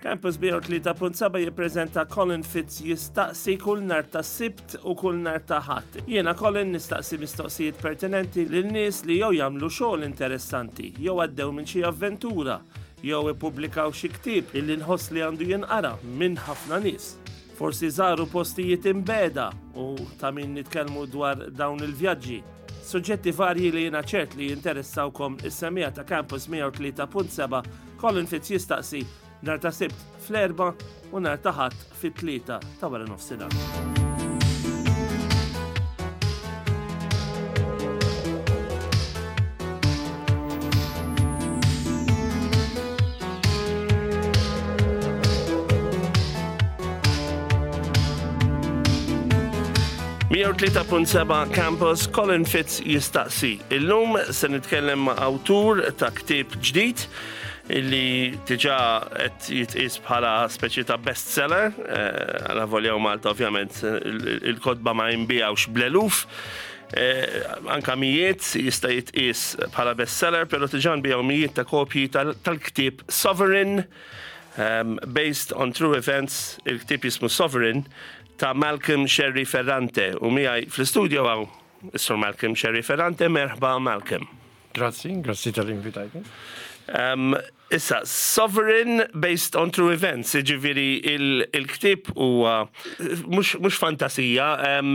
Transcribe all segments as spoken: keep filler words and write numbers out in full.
Campus mija u tlieta punt seba' jippreżenta Colin Fitz Jistaqsi kull nhar ta' Sibt u kull nhar ta' Ħadd. Jiena Colin nistaqsi mistoqsijiet pertinenti lil nies li jew jagħmlu xogħol interessanti, jew għaddew minn xi avventura, jew ippubblikaw xi ktieb illi nħoss li għandu jinqara minn ħafna nies. Forsi żaru postijiet imbiegħda u ta' min nitkellmu dwar dawn il-vjaġġi. Suġġetti varji li jiena ċert li jinteressawkom is-semmiegħa ta' Campus mija u tlieta punt seba'. Colin Fitz Jistaqsi, nhar ta' Sibt fl-erba u nhar ta' Ħadd fit-tlieta ta' wara nofsinhar. Mija u tlieta punt seba' Campus, Colin Fitz Jistaqsi. Illum se nitkellem ma' awtur ta' ktieb ġdid illi diġà qed jitqis bħala speċi ta' bestseller, eh, għala volja u Malta ovvjament il-kotba ma jinbiegħux bl-eluf, eh, anka mijiet jista' jitqis bħala bestseller, pero diġà nbiegħu mijiet ta' kopji tal-ktieb Sovereign, um, based on true events. Il-ktieb jismu Sovereign ta' Malcolm Scerri Ferrante u miegħi fl-studio hawn is-Sur Malcolm Scerri Ferrante. Merħba, Malcolm. Grazzi, grazzi tal-invitajti. Um, issa, Sovereign based on true events, ġifieri il-ktieb huwa mhux fantasija. Um,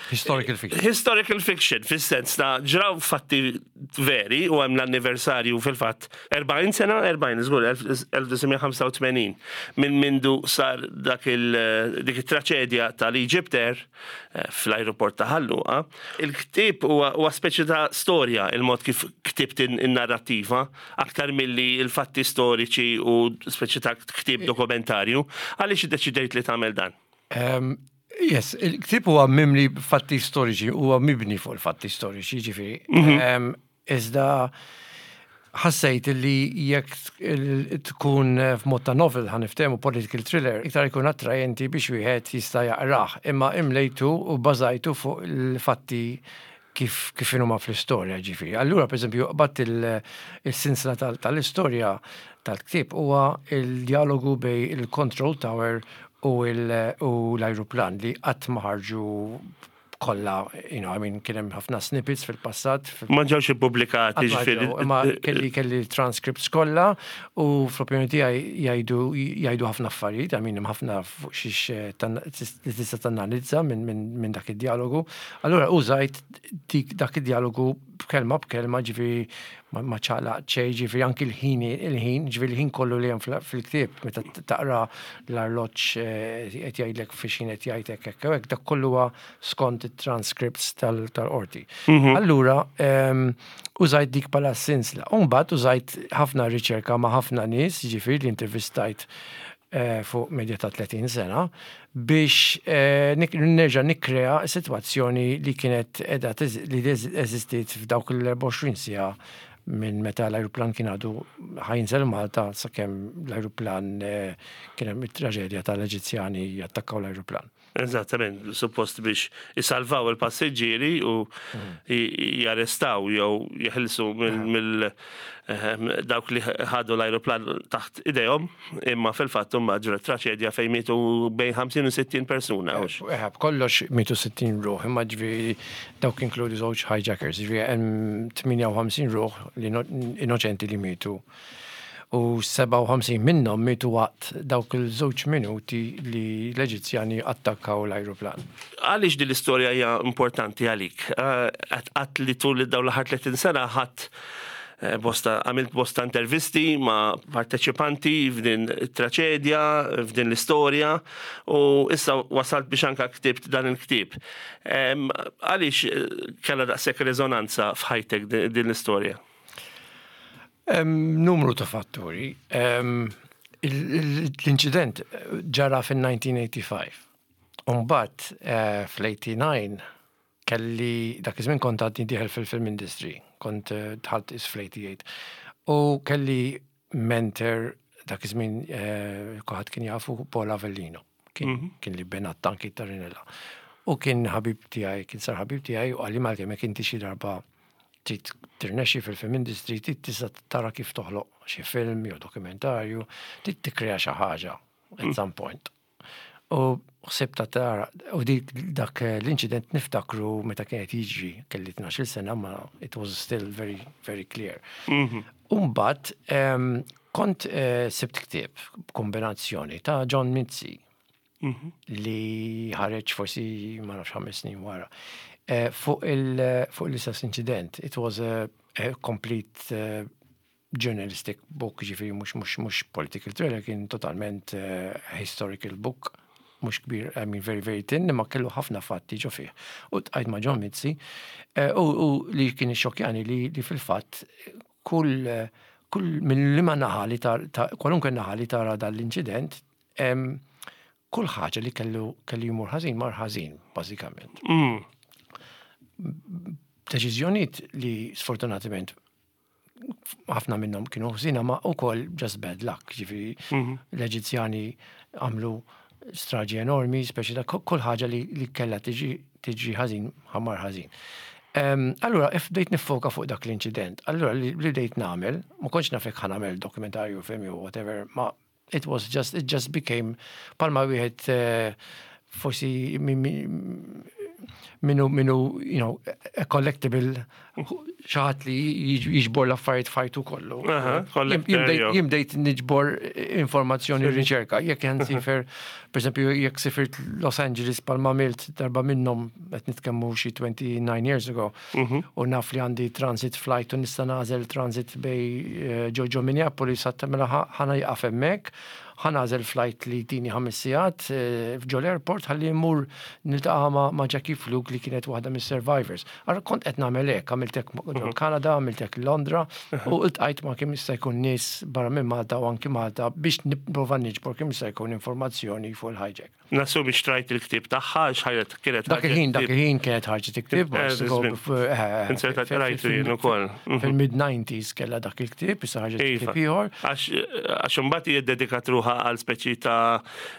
Historical fiction. Historical fiction, fis-sens ta' ġraw fatti veri u hemm l-anniversarju fil-fatt erbgħin sena, erbgħin, żgur, elf disa' mija ħamsa u tmenin minn mindu sar dak il dik it-traċedja tal-Egypt Air eh, fl-aeroport ta' Ħal Luqa. Il-ktieb huwa speċi ta' storja, il-mod kif ktibt in-narrattiva, aktar milli il-fatti storiċi u speċi ta' ktieb dokumentarju. Għaliex iddeċidejt li tagħmel dan? Um, yes, il-ktieb huwa mimli fatti storiċi, huwa mibni fuq il-fatti storiċi, ġifieri. Mm -hmm. Iżda ħassejt li jekk tkun f'mod ta' novel, ħa niftehmu, political thriller, iktar ikun attrajenti biex wieħed jista' jaqrah. Imma imlejtu u bażajtu fuq il-fatti kif kif huma fl-istorja, ġifieri. Allura, per eżempju, bat il-sinsla tal-istorja tal-ktieb huwa il-dialogu bejn il-control tower u l-ajruplan li qatt ma ħarġu kollha, you know, I mean, kien hemm ħafna snippets fil-passat. Ma ġewx ippubblikati, ġifieri. Imma kelli kelli transcripts kollha u fl-opinjoni tiegħi jgħidu jgħidu ħafna affarijiet, I mean, hemm ħafna fuq xiex li tista' tanalizza minn dak id-dialogu. Allura użajt dak id-dialogu b'kelma b'kelma, ġifieri ma ċaqlaq xejn, ġifieri anki l-ħin, il-ħin, ġifieri l-ħin kollu li hemm fil-ktieb, meta taqra l-arloġġ qed jgħidlek fiex qed jgħidlek hekk hekk, dak kollu huwa skont it-transcripts tal-qorti. Allura użajt dik bħala sinsla. U mbagħad użajt ħafna riċerka ma' ħafna nies, ġifieri li intervistajt fuq medja ta' tletin sena biex nerġa' nikkrea situazzjoni li kienet edha li eżistiet f'dawk l-erbgħa u għoxrin siegħa minn meta l-ajruplan kien għadu ħa jinżel Malta sakemm l-ajruplan kien hemm it-traġedja tal-Eġizzjani jattakkaw l-ajruplan. Eżattament, suppost biex jisalvaw il-passiġġieri u jarrestaw jew jeħilsu mill dawk li ħadu l-ajruplan taħt idejhom, imma fil-fatt huma ġrat traċedja fejn mietu bejn ħamsin u sittin persuna. Eh, kollox mietu sittin ruħ, imma ġifieri dawk inkludi żewġ hijackers, ġifieri hemm tmienja u ħamsin ruħ li innoċenti li mietu. U sebgħa u ħamsin minnhom mietu waqt dawk il-żewġ minuti li l-Eġizzjani attakkaw l-ajruplan. Għaliex din l-istorja hija importanti għalik? Għat li tul dawn l-aħħar tletin sena ħadd bosta, għamilt bosta intervisti ma' parteċipanti f'din traċedja, f'din l-istorja, u issa wasalt biex anka ktibt dan il-ktieb. Għaliex kellha daqshekk rezonanza f'ħajtek din l-istorja? Numru ta' fatturi. L-inċident ġara fil-elf disa' mija ħamsa u tmenin. Umbagħad fl-tmienja u tmenin kelli, dak iż-żmien kont għadni dieħel fil-film industry, kont dħalt is fl-tmienja u tmenin. U kelli mentor dak iż-żmien, kulħadd kien jafu, Paul Avellino. Kien, kien li bena t-tanki ta' Rinella. U kien ħabib tiegħi, kien sar ħabib tiegħi u qalli, "Malcolm, jekk inti xi darba trid tirnexxi fil-film industry, trid tista' tara kif toħloq xi film jew dokumentarju, trid tikkrea xi ħaġa at some point. U ħsibt ta' tara, u dik dak l-inċident niftakru meta kienet jiġri, kelli tnax-il sena, ma it was still very, very clear. Umbat, em, kont eh, sibt ktieb kombinazzjoni ta' John Mizzi li ħareġ forsi ma nafx ħames snin wara. Eh, Fuq il- fuq l-istess incident, it was a, a complete uh, journalistic book, ġifieri mhux mhux mhux political thriller, kien totalment uh, historical book, mhux kbir, I mean very very thin, imma kellu ħafna fatti ġo fih. U ltqajt ma' John Mizzi, eh, u, u li kien xokjani li, li fil-fatt kull kull minn liema naħa li tar, ta, kwalunkwe naħa li tara dal-inċident, em, kull ħaġa li kellu kellu jmur ħażin mar ħażin, bażikament. Mm. Deċiżjonijiet li sfortunatament ħafna minnhom kienu ħżina ma ukoll just bad luck, ġifieri l-Eġizzjani għamlu straġi enormi, speċi ta' kull ħaġa li, li kellha tiġi tiġi ħażin, ħa mar ħażin. Um, allura, if bdejt nifoka fuq dak l-inċident, allura li, li bdejt nagħmel, ma kontx naf jekk ħa nagħmel dokumentarju, film jew whatever, ma it was just, it just became palma wieħed uh, forsi mi- mi- minnu, minnu, you know, a collectible, xi ħadd li jiġ- jiġbor l-affarijiet fajtu kollu. Aha, collector, Jien bdejt- jew. Jien bdejt niġbor informazzjoni u riċerka. Jekk jen sifer, per esempio, jekk sifirt Los Angeles palma għamilt darba minnhom, qed nitkellmu xi twenty-nine years ago, u naf li għandi transit flight u nista' nagħżel transit bejn eh, ġo ġo Minneapolis, għatta mela ħa nieqaf hemmhekk, ħa nagħżel flight li tini ħames sigħat eh, f'ġo l-airport ħalli mmur niltaqa' ma' ma' Jackie Fluke li kienet waħda mis-survivors. Allura kont qed nagħmel hekk, għamilt hekk ġo Kanada, għamilt hekk Londra u ltqajt ma' kemm jista' jkun nies barra minn Malta u anki Malta biex nipprova niġbor kemm jista' jkun informazzjoni fuq il-hijack. Nassumi xtrajt il-ktieb tagħha, x'ħajret kienet Dak il-ħin, dak il-ħin kienet ħarġet il-ktieb. Eh, żmien. Insertat rajtu jien ukoll. Mhm. Fil-mid-nineties kellha dak il-ktieb, issa ħarġet Iva. ktieb ieħor. Għax għax imbagħad hija ddedikat ruħha għal speċi ta'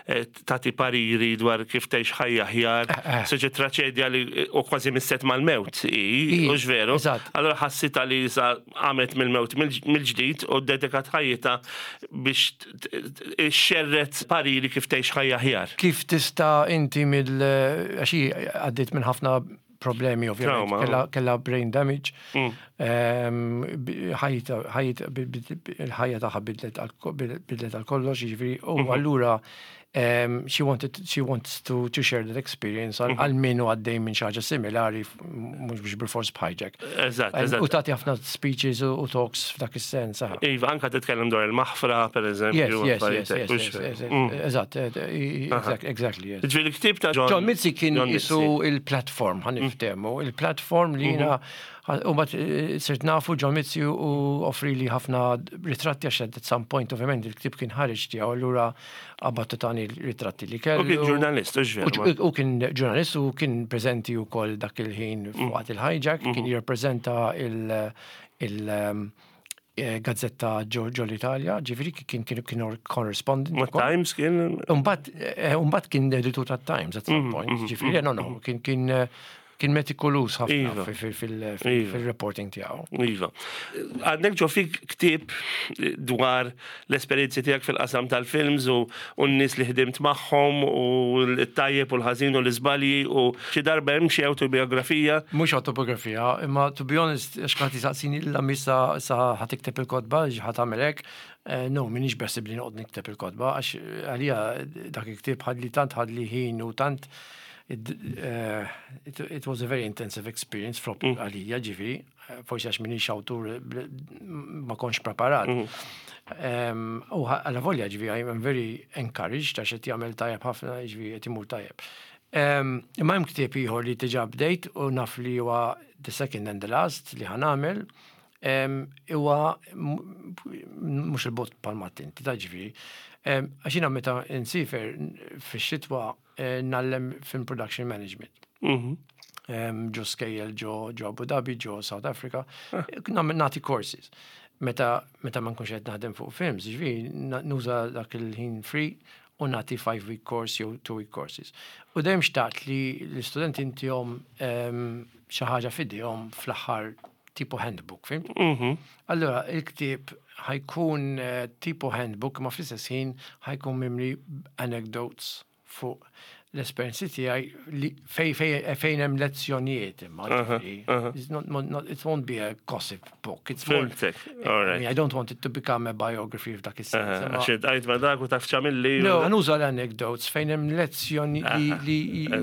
eh, tagħti pariri dwar kif tgħix ħajja aħjar. Eh, eh. Speċi traċedja li u kważi misset mal-mewt, i, I, u veru. eżatt. Allora ħassita li sa għamet mill-mewt mill-ġdid u ddedikat ħajjitha biex t- t- xerret pariri kif tgħix ħajja aħjar. Kif tista' inti mill għax hi għaddiet minn ħafna problemi ovvjament. Trauma. Kella, kella brain damage. Mm. Ehm, bi- ħajta, ħajta, bi- bi- bi- il-ħajja tagħha bidlet għal bidlet għal kollox, jiġifieri, u Mhm. allura um, she wanted she wants to to share that experience Mhm. għal għal min hu għaddej minn xi ħaġa similari, mhux biex bilfors b'hijack. Eżatt, U eżatt. tagħti ħafna speeches u u talks f'dak is-sens. aha. Iva, anka titkellem dwar il-maħfra, per Yes, eżempju. yes, yes, affarijiet yes, hekk, hux yes, veru? yes, Mm. eżatt, eh, exact- exactly, yes. Ġifieri l-ktieb ta' John John Mizzi kien John isu Mizzi. il-platform, ħa niftehmu, il-platform li jiena u mbagħad sirt nafu John Mizzi u offri li ħafna ritratti għax at some point ovvjament il-ktieb kien ħareġ tiegħu, allura għabattu tani ritratti li kellu. U kien ġurnalist, hux veru? U kien ġurnalist u kien preżenti wkoll dak il-ħin waqt il-hijack, kien jirrappreżenta il- il- um, eh, gazzetta ġo ġo l-Italja, ġifieri kien kien kien correspondent. Ma ukoll. Times kien. Umbat, eh, umbat kien editur ta' Times at some point, ġifieri, no, no, kien kien eh, kien meticulous ħafna Iva. fi- fi- fil- Iva. fil-reporting tiegħu. Iva. Għandek ġo fik ktieb dwar l-esperienzi tiegħek fil-qasam tal-films u u n-nies li ħdimt magħhom u l-tajjeb u l-ħażin u l-iżbalji u xi darba hemm xi autobiografija. Mhux autobiografija, imma to be honest, għax kħati saqsini l missa sa ħa tikteb il-kotba, ħa tagħmel hekk, eh, no, m'iniex beħsiebni noqgħod nikteb il-kotba, għax għalija dak il-ktieb ħadli tant ħadli ħin u tant it, uh, it, it was a very intensive experience frop għalija, ġifieri, eh, forsi għax m'iniex awtur bl- ma kontx preparat. Um, u għala volja ġifieri, I'm very encouraged għax qed jagħmel tajjeb ħafna, ġifieri qed imur tajjeb. Um, Imma hemm ktieb ieħor li diġà bdejt u naf li huwa the second and the last li ħa nagħmel. Um, huwa m- mhux il-bot palmat inti ta' ġifieri. Um, Għax jiena meta nsifer fix-xitwa eh, ngħallem film production management. Mhm. Um, ġo skejjel ġo ġo Abu Dhabi, ġo South Africa, nagħmel nagħti courses. Meta meta ma nkunx qed naħdem fuq films, ġifieri na- nuża dak il-ħin free u nagħti five week course jew two week courses. U dejjem xtaqt li l-istudenti intihom um, xi ħaġa f'idejhom fl-aħħar tipo handbook, fhimt? Mhm. Allora, il-ktieb ħa jkun eh, tipo handbook, ma fl-istess ħin ħa jkun mimli anecdotes fuq l-esperienzi tiegħi li fej fej fejn hemm lezzjonijiet imma ġifieri. It's not, not, not, it won't be a gossip book. It's more, Fhimtek, I all right. mean, I don't want it to become a biography f'dak is-sens. imma- Għax għajt ma dak u taf ċamilli. No, nuża l-anecdotes fejn hemm lezzjoni li li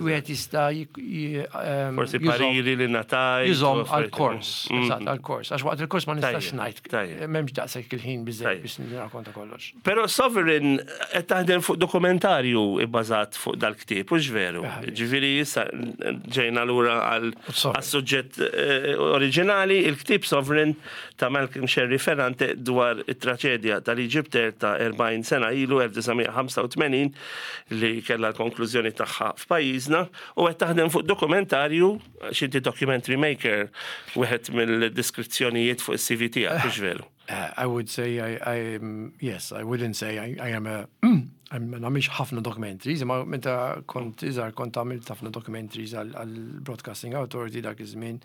wieħed jista' jik- ji- ehm, Forsi jużhom- pariri li ngħatajt. jużhom u affarijiet. għal-kors, Mhm. eżatt, għal-kors. Għax waqt il-kors ma nistax Tajjeb, ngħid, tajjeb. m'hemmx daqshekk il-ħin biżejjed Tajjeb. biex nirrakkonta kollox. Pero Sovereign qed taħdem fuq dokumentarju ibbażat fuq dal-ktieb, hux veru? Ah, yes. Ġifieri issa ġejna lura għal Sovereign. suġġett eh, oriġinali, il-ktieb Sovereign ta' Malcolm Scerri Ferrante dwar it-traċedja tal-EgyptAir ta' erbgħin sena ilu elf disa' mija ħamsa u tmenin li kellha l-konklużjoni tagħha f'pajjiżna u qed taħdem fuq dokumentarju, għax inti documentary maker, wieħed mill-deskrizzjonijiet fuq is-C V tiegħek, hux veru? Uh, I would say I, I am, yes, I wouldn't say I, I am a, I'm nagħmilx ħafna documentaries, imma meta kont iżgħar kont għamilt ħafna documentaries għal għal Broadcasting Authority dak iż-żmien.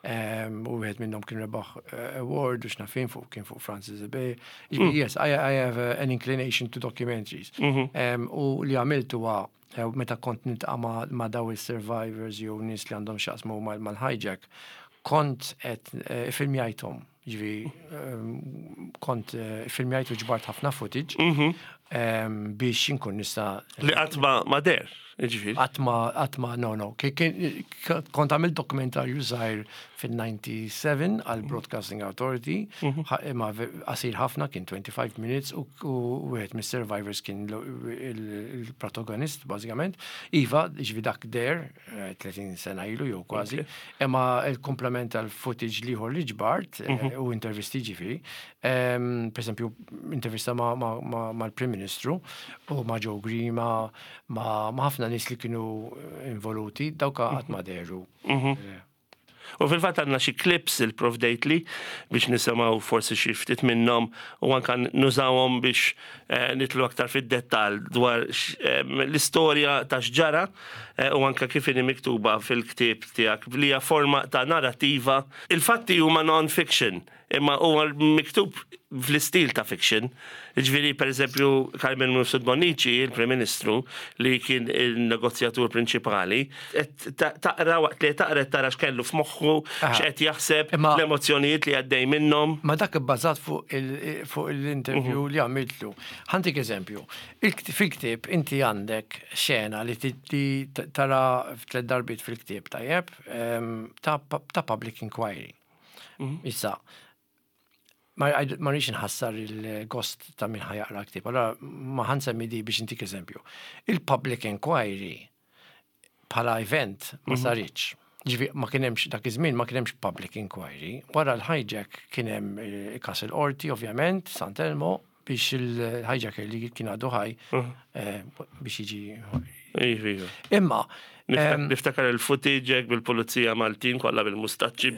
Um, u wieħed minnhom kien rebaħ uh, award u x'naf jien fuq kien fuq Francis Bay. Mm. Yes, I, I have uh, an inclination to documentaries. Um, u li għamilt huwa eh, meta kont niltaqa' ma, ma daw il-survivors jew nies li għandhom x'jaqsmu mal- mal-hijack, kont qed eh, filmjajthom. Ġifieri, um, kont eh, filmjajt u ġbart ħafna footage um, biex inkun nista' Li qatt ma ma deher, ġifieri. Qatt ma, qatt ma, no, no. Ki- kien- Kont għamilt dokumentarju żgħir fil-disgħa u disgħin għal Broadcasting Authority, ħa- imma ve- qasir ħafna, kien twenty-five minutes, u u wieħed mis-survivors kien l- il- il-protagonist, bażikament. Iva, ġifieri dak deher, eh, tletin sena ilu jew kważi, imma il-komplement tal-footage l-ieħor li ġbart eh, u intervisti ġifieri. Em, Per esempio, intervista ma' ma- ma- mal-Prim Ministru u ma' Joe Grima, ma' ma' ħafna nies li kienu involuti, dawka qatt ma dehru. Eh, U fil-fatt għandna xi clips ipprovdejtli biex nisimgħu forsi xi ftit minnhom u anka nużawhom biex eh, nidħlu aktar fid-dettall dwar x- em, l-istorja ta' x'ġara eh, u anka kif inhi miktuba fil-ktieb tiegħek li hija forma ta' narrativa. Il-fatti huma non-fiction, imma huwa miktub fl-istil ta' fiction. Ġifieri, per eżempju, Carmen Mifsud Bonnici, il-Prim Ministru, li kien il-negozjatur prinċipali, qed ta- taqra waqt li taqra tara x'kellu f'moħħu, Aha. x'qed jaħseb, Imma- l-emozzjonijiet li għaddej minnhom. Ma dak ibbażat fuq il- fuq l-interview li għamiltlu. Ħa ntik eżempju. Il-kt- Fil-ktieb inti għandek xena li ti- li t- tara f'tliet darbiet fil-ktieb tajjeb em, ta' ta' public inquiry. Issa, ma ma rridx nħassar il-gost ta' min ħa jaqra ktieb. Allora ma ħa nsemmi di biex intik eżempju. Il-public inquiry bħala event ma saritx. Ġifieri, ma kien hemmx dak iż-żmien ma kien hemmx public inquiry. Wara l-hijack kien hemm eh, każ il-qorti ovvjament, Sant'Elmo, biex il-hijacker li kien għadu ħaj eh, biex jiġi. Iva, iva. Imma em, Niftakar il-footage hekk bil-pulizija Maltin kollha bil-mustaċċi,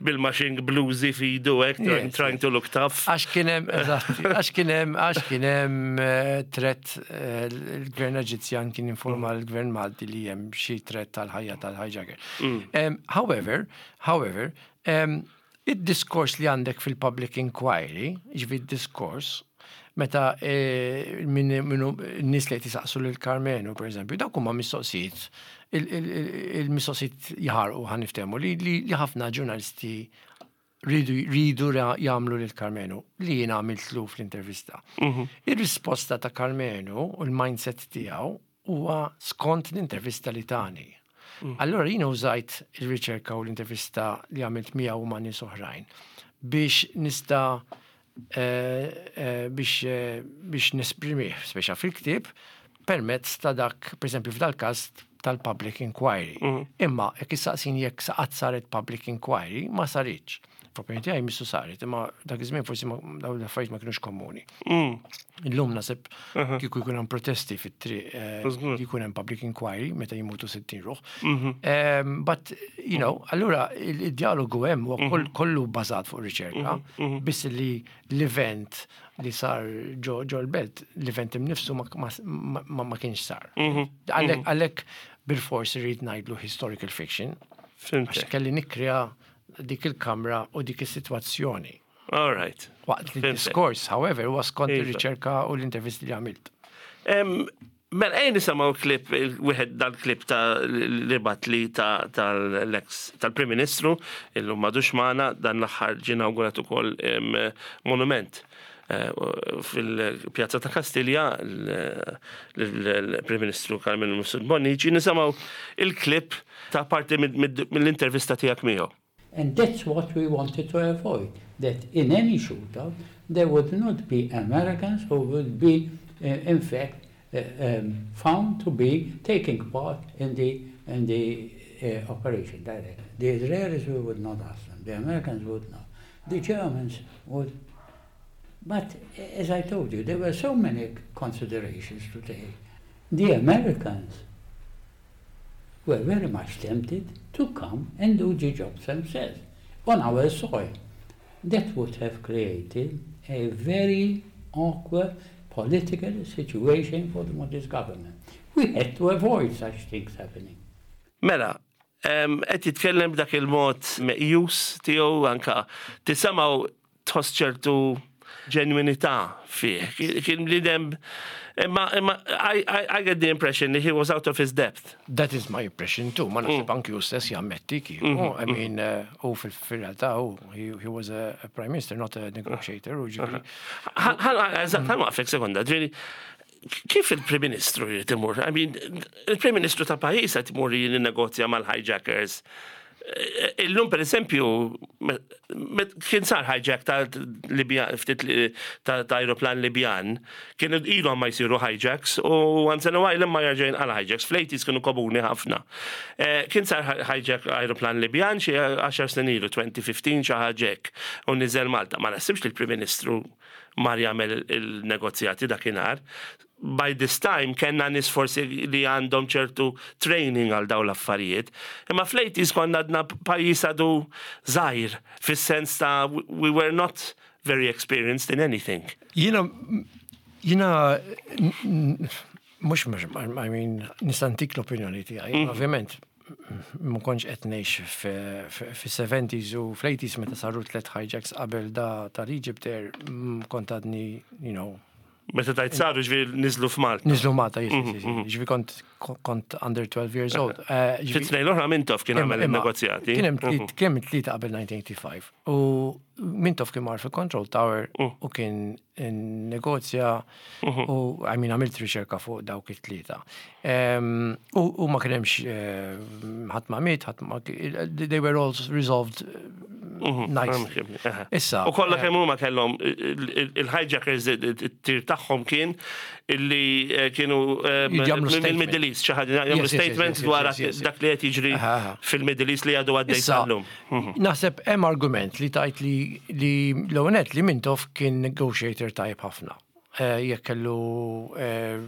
bil-matching bluzi f'idu hekk, Yes, trying to look tough. Għax kien hemm, eżatt, għax kien hemm, għax kien hemm eh, threat eh, il-gvern Eġizzjan kien informa l-gvern Malti li hemm xi threat tal-ħajja tal-hijacker. Em, However, however, em, id-diskors li għandek fil-public inquiry, ġifieri diskors, meta eh, min minu n-nies li qed jisaqsu lil Karmenu, per eżempju, dawk huma mistoqsijiet, il- il- il- il-mistoqsijiet jaħarqu ħa niftehmu li li li ħafna ġurnalisti ridu ridu ra- jagħmlu lil Karmenu li jiena għamiltlu fl-intervista. Ir-risposta ta' Karmenu u l-mindset tiegħu huwa skont l-intervista li tani. Allora jiena użajt il-riċerka u l-intervista li għamilt miegħu ma' nies oħrajn biex nista' eh, eh, biex eh, biex nesprimih, speċa fil-ktieb, permezz ta' dak, per esempio, f'dal każ tal-public inquiry. Imma jekk issaqsini jekk qatt saret public inquiry, ma saritx. F'opinjoni tiegħi missu saret, imma dak iż-żmien forsi ma- dawn l-affarijiet ma kienux komuni. Illum naħseb kieku jkun hemm protesti fit-triq, eh, Żgur. jkun hemm public inquiry meta jimutu sittin ruħ. Um, but, you know, allura il- il-dialogu hemm huwa koll- kollu bbażat fuq riċerka, biss li l-event li sar ġo ġo l-belt, l-event imnifsu ma, ma, ma, ma kienx sar. Għalhekk għalhekk bil-fors irrid ngħidlu historical fiction, għax Fhimtek. kelli nikkrea dik il-kamra u dik is-sitwazzjoni. All right. Waqt li Fhimtek. diskors, however, huwa skont Iva. ir-riċerka u l-intervisti li għamilt. Em, Mela, ejja nisimgħu klip, wieħed dal-klip ta' li bagħatli ta' tal-ex tal-Prim Ministru, illum m'għadux magħna, dan l-aħħar ġie inawgurat ukoll em, monument eh, fil-Pjazza ta' Kastilja, l-Prim Ministru Karmenu Mifsud Bonnici, nisimgħu il-klip ta' parti mill-intervista tiegħek miegħu. And that's what we wanted to avoid, that in any shootout there would not be Americans who would be, uh, in fact, uh, um, found to be taking part in the, in the uh, operation directly. The Israelis, we would not ask them, the Americans would not, the Germans would. But as I told you, there were so many considerations to take. The Americans were very much tempted to come and do the job themselves on our soil. That would have created a very awkward political situation for the Maltese government. We had to avoid such things happening. Mela, em, qed jitkellem b'dak il-mod meqjus tiegħu anka tisimgħu tħoss ċertu ġenwinità fih. Kien bniedem imma imma I, I, I get the impression that he was out of his depth. That is my impression too. Ma naħseb anki hu stess jammetti kieku. I mean, uh, u fil-realtà, hu, he, he was a, a prime minister, not a negotiator. U ġifieri, Eżatt, ħa nwaqqfek sekonda, ġifieri, kif il-Prim Ministru jrid imur? I mean, il-Prim Ministru ta' pajjiż qed imur jinnegozja mal-hijackers. Eh, Illum per eżempju, me- me- kien sar hijack ta' Libja, ftit li- ta' ta' aeroplan Libjan, kienu ilhom ma jsiru hijacks u once in a while imma jerġa' jinqala hijacks, fl-eighties kienu komuni ħafna. Eh, Kien sar hijack aeroplan Libjan xi għaxar snin ilu, elfejn u ħmistax xi ħaġa hekk, u niżel Malta. Ma naħsibx li l-Prim Ministru mar jagħmel il-negozjati dakinhar. By this time kellna nies forsi li għandhom ċertu training għal daw l-affarijiet. Imma fl-eighties konna għadna pajjiż għadu żgħir, fis-sens ta' we were not very experienced in anything. Jiena, jiena, mhux, mhux, I mean, nista' ntik l-opinjoni tiegħi, ovvjament, ma kontx qed ngħix fis-seventies u fl-eighties meta saru tliet hijacks qabel da tal-Egypt Air, mm, kont għadni, you know, Meta tajt saru ġifieri niżlu f'Malta. Niżlu Malta, yes, yes, yes, ġifieri kont, kont under twelve years old. Eh, ġifieri- Fit-tnejn l-oħra Mintoff kien għamel Imma- il-negozjati. Kien hemm tliet- kien hemm tlieta qabel elf disa' mija u tmienja u ħamsin. U Mintoff kien mar fil-Control Tower u kien negozja u, I mean, għamilt riċerka fuq dawk it-tlieta. Em, U u ma kien hemmx eh, ħadd ma miet, ħadd ma they were all resolved eh, nicely. Issa, U kollha eh, kemm huma kellhom il-hijackers it-tir tagħhom kien illi eh, kienu eh, Jagħmlu statement. mill-Middle East, xi ħaġa jagħmlu Yes, yes, yes, statement yes, dwar yes, yes, yes. dak li qed jiġri Aha, aha. fil-Middle East li għadu għaddej Issa, sal-lum. naħseb hemm argument li tajt li li l-ewwel li Mintoff kien negotiator tajb ħafna. Eh, Jekk kellu eh,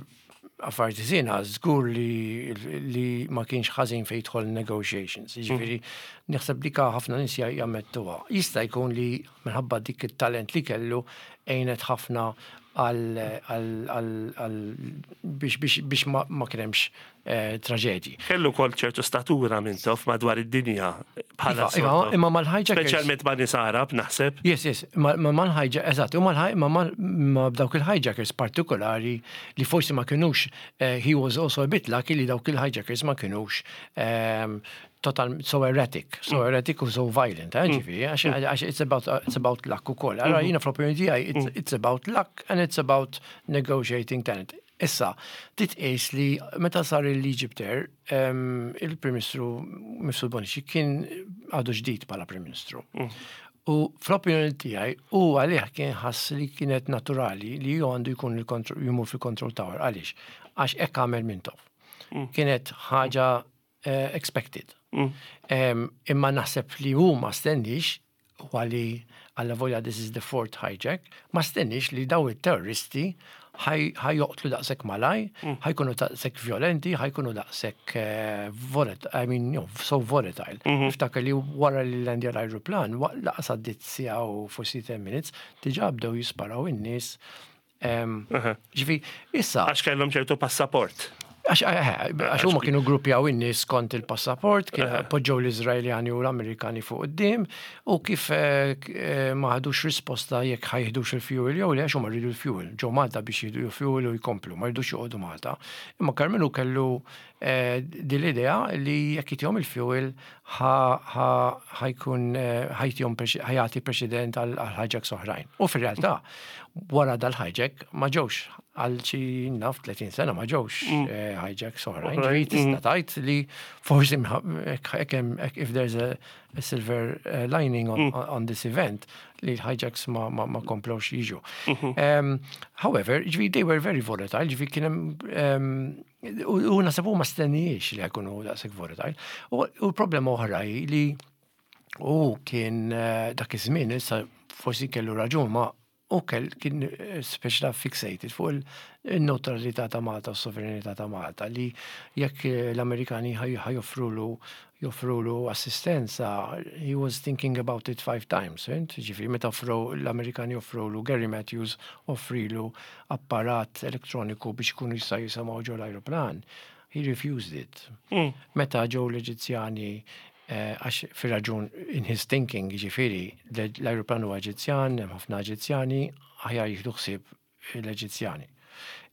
affarijiet ħżiena, żgur li, li ma kienx ħażin fejn jidħol negotiations. Jiġifieri naħseb li ka ħafna nies ja- jammettuha. Jista' jkun li minħabba dik it-talent li kellu għenet ħafna għal għal- għal- għal biex biex biex ma, ma kien hemmx eh, traġedji. Kellu kol ċertu statura Mintoff madwar id-dinja bħala Iva, iva, sort of- imma mal-hijackers. Speċjalment ma' nies Arab, naħseb. Yes, yes, ma ma mal-hijack, eżatt, u mal ma mal ma dawk il-hijackers partikolari li forsi ma kienux, eh, he was also a bit lucky li dawk il-hijackers ma kienux um, total, so erratic, so erratic u so violent, eh, ġifieri, għax għax it's about, it's about luck ukoll. Allora jiena fl-opinjoni tiegħi, it's, it's about luck and it's about negotiating talent. Issa, titqis li meta sar l-Egypt Air, um, il-Prim Ministru Mifsud Bonnici kien għadu ġdid bħala Prim Ministru. U fl-opinjoni tiegħi u għalih kien ħass li kienet naturali li ju għandu jkun il-kontro- jmur fil-Control Tower. Għaliex? Għax hekk għamel Mintoff. Kienet ħaġa eh, expected. Em, Imma naħseb li hu ma stennix, u għali għalla volja this is the fourth hijack, ma stennix li daw il-terroristi ħa joqtlu daqshekk malajr, ħa jkunu daqshekk violenti, ħa jkunu daqshekk eh, volatile, I mean, you know, so volatile. Niftakar li wara li landja l-aeroplan, lanqas għaddiet siegħa u forsi ten minutes, diġà bdew jisparaw in-nies. Em, Ġifieri, issa, Għax kellhom ċertu passaport. Għax eh, għax huma kienu gruppjaw in-nies skont il-passaport, kien poġġew l-Iżraeljani u l-Amerikani fuq quddiem u kif eh, k- eh, ma ħadux risposta jekk ħa jiħdux il-fuel jew le, għax huma rridu l-fuel. Ġew Malta biex jieħdu l-fuel u jkomplu, ma rridux joqogħdu Malta. Imma Karmenu kellu eh, din l-idea li jekk jtihom il-fuel ħa jkun ħa jtihom ħa jagħti preċedent għal hijacks oħrajn. U fir-realtà, wara dal-hijack ma ġewx għal xi naf tletin sena, ma ġewx eh, hijacks oħrajn. Oħrajn. Ġifieri tista' tgħid li forsi hekk hemm, if there's a, a silver eh, lining on, on this event, li l-hijacks ma, ma, ma komplewx jiġu. Um, however, ġifieri they were very volatile, ġifieri kien hemm um, u u naħseb ma stennewx li jkunu daqshekk volatile. U u l-problema oħra hi li u kien eh, dak iż-żmien, issa forsi kellu raġun, ma u kell kien eh, speċi fixated fuq il-neutralità ta' Malta u s-sovranità ta' Malta, li jekk eh, l-Amerikani ħa joffrulu joffrulu assistenza, he was thinking about it five times, fhimt? Ġifieri, meta offru l-Amerikani offrulu, Gary Matthews offrilu apparat elettroniku biex ikunu jista' jisimgħu ġo l-aeroplan, he refused it. Meta ġew l-Eġizzjani, eh, għax fir-raġun in his thinking, ġifieri, l-aeroplan huwa Eġizzjan, hemm ħafna Eġizzjani, aħjar jieħdu ħsieb l-Eġizzjani.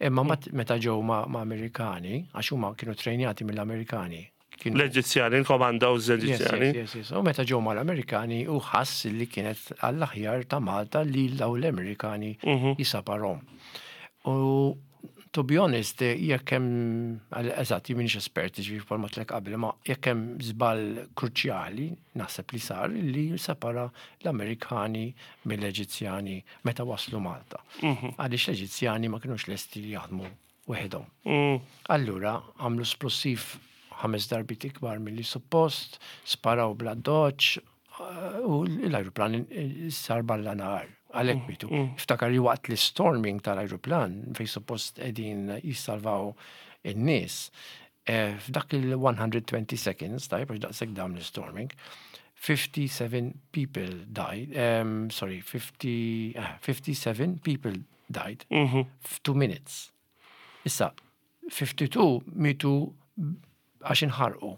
Imma mat- meta ġew ma' ma' Amerikani, għax huma kienu trejnjati mill-Amerikani. Kienu L-Eġizzjani, il-commandos Yes, Eġizzjani. yes, yes, yes. U meta ġew mal-Amerikani u ħass li kienet għall-aħjar ta' Malta li daw l-Amerikani jisseparawhom. U to be honest, jekk hemm, eżatt, jien m'iniex espert, ġifieri bħalma għedtlek qabel, ma jekk hemm żball kruċjali, naħseb li sar li separa l-Amerikani mill-Eġizzjani meta waslu Malta. Għaliex l-Eġizzjani ma kienux lesti li jaħdmu weħidhom. Mm. Allura, għamlu splussiv ħames darbit ikbar mill-li suppost, sparaw bla doċ, u l-aeroplan sar balla nar. Għalhekk mietu. Iftakar li waqt l-storming tal-aeroplan, fej suppost qegħdin jissalvaw in-nies, eh, f'dak il-one hundred twenty seconds, tajb, għax daqshekk dam l-storming, fifty-seven people died, um, sorry, fifty, uh, fifty-seven people died f'two minutes. Issa, fifty-two mietu għax inħarqu.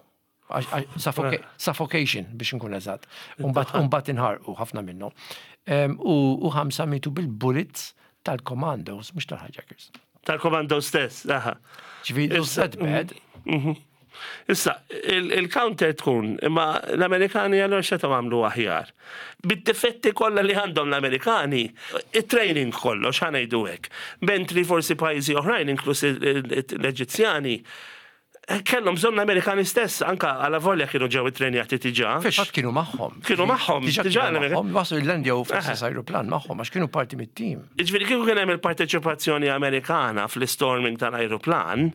Għax- għax- suffoca- Suffocation biex nkun eżatt. Umbat inħarqu ħafna minnhom. Em, U u ħamsa mietu bil-bullets tal-commandos, mhux tal-hijackers. Tal-komando stess, aha. Ġifieri, Issa- that bad. Issa, il- il-counter tkun, imma l-Amerikani għallur xetgħu għamlu aħjar? Bid-difetti kollha li għandhom l-Amerikani, il-training kollox, ħa ngħidu hekk. Mentri forsi pajjiżi oħrajn, inkluż l-Eġizzjani, kellhom bżonn l-Amerikani stess, anka għala volja kienu ġew it-trenjati diġà. Fil-fatt kienu magħhom. Kienu magħhom, Diġà diġà kienu l-Amerika- magħhom, waslu l-landjaw fl-istess aeroplan magħhom, għax kienu parti mit-tim. Ġifieri kieku kien hemm il-parteċipazzjoni Amerikana fl-storming tal-ajruplan,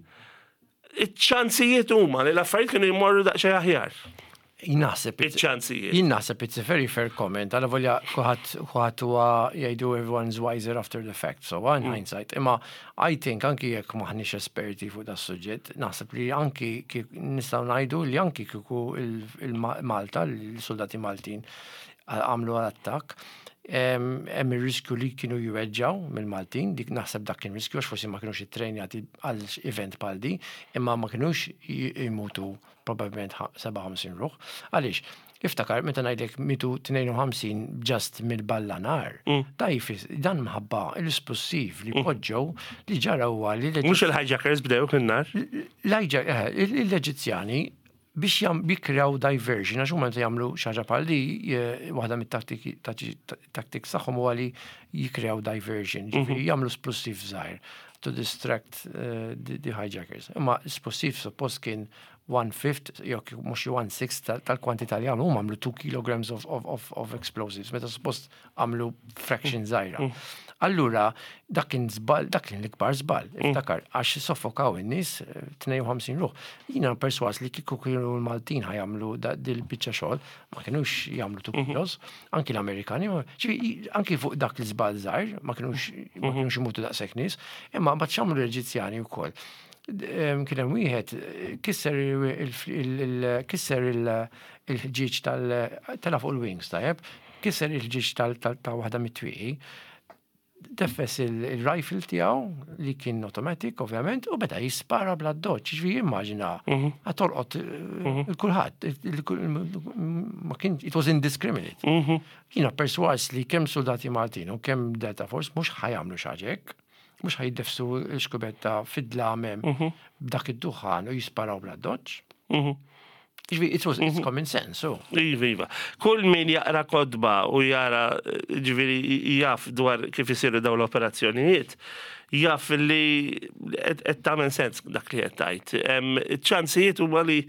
iċ-ċansijiet huma li l-affarijiet kienu jmorru daqsxejn aħjar. Jien naħseb Iċ-ċansijiet. Jien naħseb it's a very fair comment. Għala volja kulħadd kulħadd huwa jgħidu everyone's wiser after the fact. So in hindsight. Imma I think anki jekk maħniex esperti fuq da suġġett, naħseb li anki kif nistgħu ngħidu li anki kieku il-Malta, il-soldati Maltin għamlu għal-attakk, hemm ir-riskju li kienu jweġġaw mill-Maltin, dik naħseb dak kien riskju għax forsi ma kienux ittrejnjati għal event bħal di, imma ma kienux jmutu probabbilment sebgħa u ħamsin ruħ. Għaliex, iftakar meta ngħidlek mietu tnejn u ħamsin just mill-balla nar, da jfis- dan mħabba l-isplussiv li poġġew li ġara huwa li Mhux il-hijackers bdew kien-nar. l-Eġizzjani l-Eġizzjani biex jam jikrew diversion, għax huma meta jagħmlu xi ħaġa bħal di, eh, waħda mit-tattiki tactics tagħhom huwa li jikrew diversion, ġifieri jagħmlu splussiv żgħir to distract uh, the, the hijackers. Imma splussiv suppost kien one fifth, jew mhux one sixth tal-kwantità li għamlu, huma għamlu two kilograms of, of, of, of explosives, meta suppost għamlu fraction żgħira. Allura, dak kien żball, dak kien l-ikbar żball, iftakar, għax soffokaw in-nies eh, tnejn u ħamsin ruħ. Jiena perswas li kieku kienu l-Maltin ħa jagħmlu dil-biċċa xogħol, ma kienux jagħmlu two kilos, anki l-Amerikani, ma- ġifieri, anki fuq dak l-żball żgħir, ma kienux ma kienux imutu daqshekk nies, imma mbagħad x'għamlu l-Eġizzjani wkoll? Em, Kien hemm wieħed eh, kisser il- il- il- kisser il- il-ħġieġ tal tela fuq il-wings, tajjeb, kisser il-ħġieġ tal- tal- ta' waħda mit-twieqi, Deffes il-rifle tiegħu li kien automatic, ovvjament, u beda jispara bla doċ. Ġifieri immaġina, ħa tolqot 'il kulħadd, ma kien, it was indiscriminate. Jiena perswas li kemm soldati Maltin u kemm Delta Force mhux ħa jagħmlu xi ħaġa hekk, mhux ħa jdeffsu xkubetta fid-dlam b'dak id-duħan u jisparaw bla doċ. Ġifieri, it was, it's common sense, so. Iva, iva. Kull min jaqra kotba u jara, ġifieri, jaf dwar kif isiru daw l-operazzjonijiet, jaf li qed tagħmel sens dak li qed tgħid. Ċansijiet huma li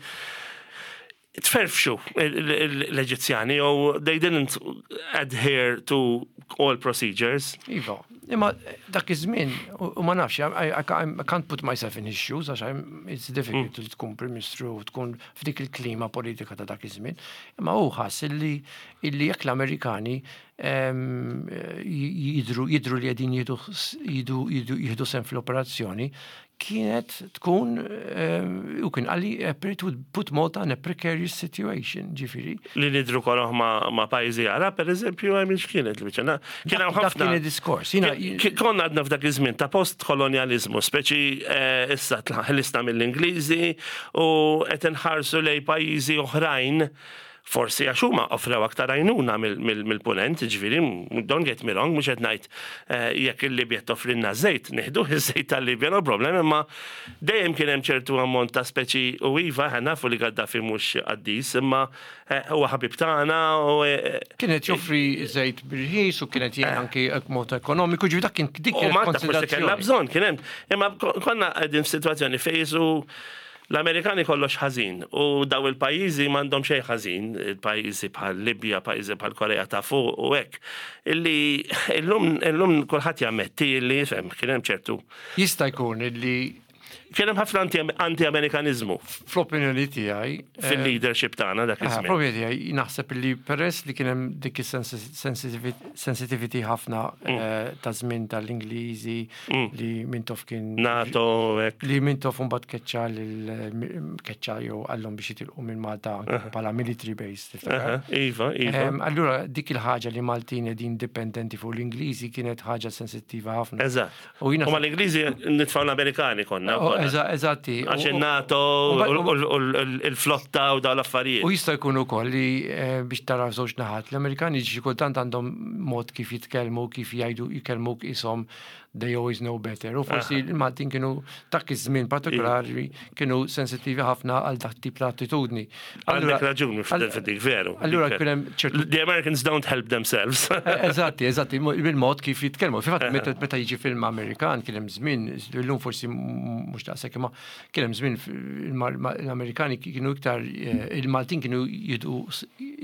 tferfxu l-Eġizzjani u they didn't adhere to all procedures. Iva, imma dak iż-żmien, u ma nafx, I, I, I can't put myself in his shoes, għax it's difficult mm. tkun Prim Ministru u tkun f'dik il-klima politika ta' dak iż-żmien. Imma hu ħass illi illi jekk l-Amerikani jidru jidru li qegħdin jieħdu sehem fl-operazzjoni, kienet tkun u kien qalli it would put Malta in a precarious situation, ġifieri. Li nidru koroh ma, ma pajjiżi Għarab, per eżempju, għamil x'kienet li biċċa. Kien hawn ħafna. Kien diskors. Konna għadna f'dak iż-żmien ta' post-kolonializmu, speċi eh, issa ħlisna mill-Ingliżi u qed inħarsu lej pajjiżi oħrajn, forsi għax huma offrew aktar għajnuna mill-punent, ġifieri, don't get me wrong, mhux qed ngħid eh, jekk il-Libja toffrilna żejt, nieħdu iż-żejt tal-Libja, no problem, imma dejjem kien hemm ċertu ammont ta' speċi u iva, nafu li Gaddafi mhux qaddis, imma eh, huwa ħabib tagħna u eh, Kienet joffri żejt b'irħis u kienet jgħin anki mod ekonomiku, ġifieri dak kien dik U Malta forsi kellna bżonn, kien hemm. Imma konna qegħdin f'sitwazzjoni fejn l-Amerikani kollox ħażin u daw il-pajjiżi m'għandhom xejn ħażin, il-pajjiżi bħal Libja, pajjiżi bħal Korea ta' fuq u hekk. Illi illum illum kulħadd jammetti illi fem kien hemm ċertu. Jista' jkun illi Kien hemm ħafna anti-Amerikanizmu. Fl-opinjoni tiegħi eh, fil-leadership tagħna dak iż-żmien. Fl-opinjoni tiegħi naħseb li peress li kien hemm dik is-sensitivity ħafna mm. eh, ta' żmien tal-Ingliżi mm. li Mintoff kien NATO. Li Mintoff mbagħad keċċa lil keċċa jew qallhom biex jitilqu minn Malta bħala military base. Iva, iva. Allura dik il-ħaġa li Maltin qegħdin dipendenti fuq l-Ingliżi kienet ħaġa sensittiva ħafna. Eżatt. U mal-Ingliżi nitfgħu l-Amerikani konna. Eżatti. Għax il-NATO u il-flotta u daw l-affarijiet. U jista' jkun ukoll li eh, biex tara żewġ naħat, l-Amerikani xi kultant għandhom mod kif jitkellmu, kif jgħidu, jkellmuk ishom they always know better. U forsi il-Maltin kienu dak iż-żmien partikolari kienu sensittivi ħafna għal dak tip ta' attitudni. Għandek raġuni f'dik, veru. Allura kien hemm ċertu. The Americans don't help themselves. Eżatti, eżatti, bil-mod kif jitkellmu. Fil-fatt meta jiġi film Amerikan kien hemm żmien, illum forsi mhux daqshekk, imma kien hemm żmien l-Amerikani kienu iktar, eh, il-Maltin kienu jidu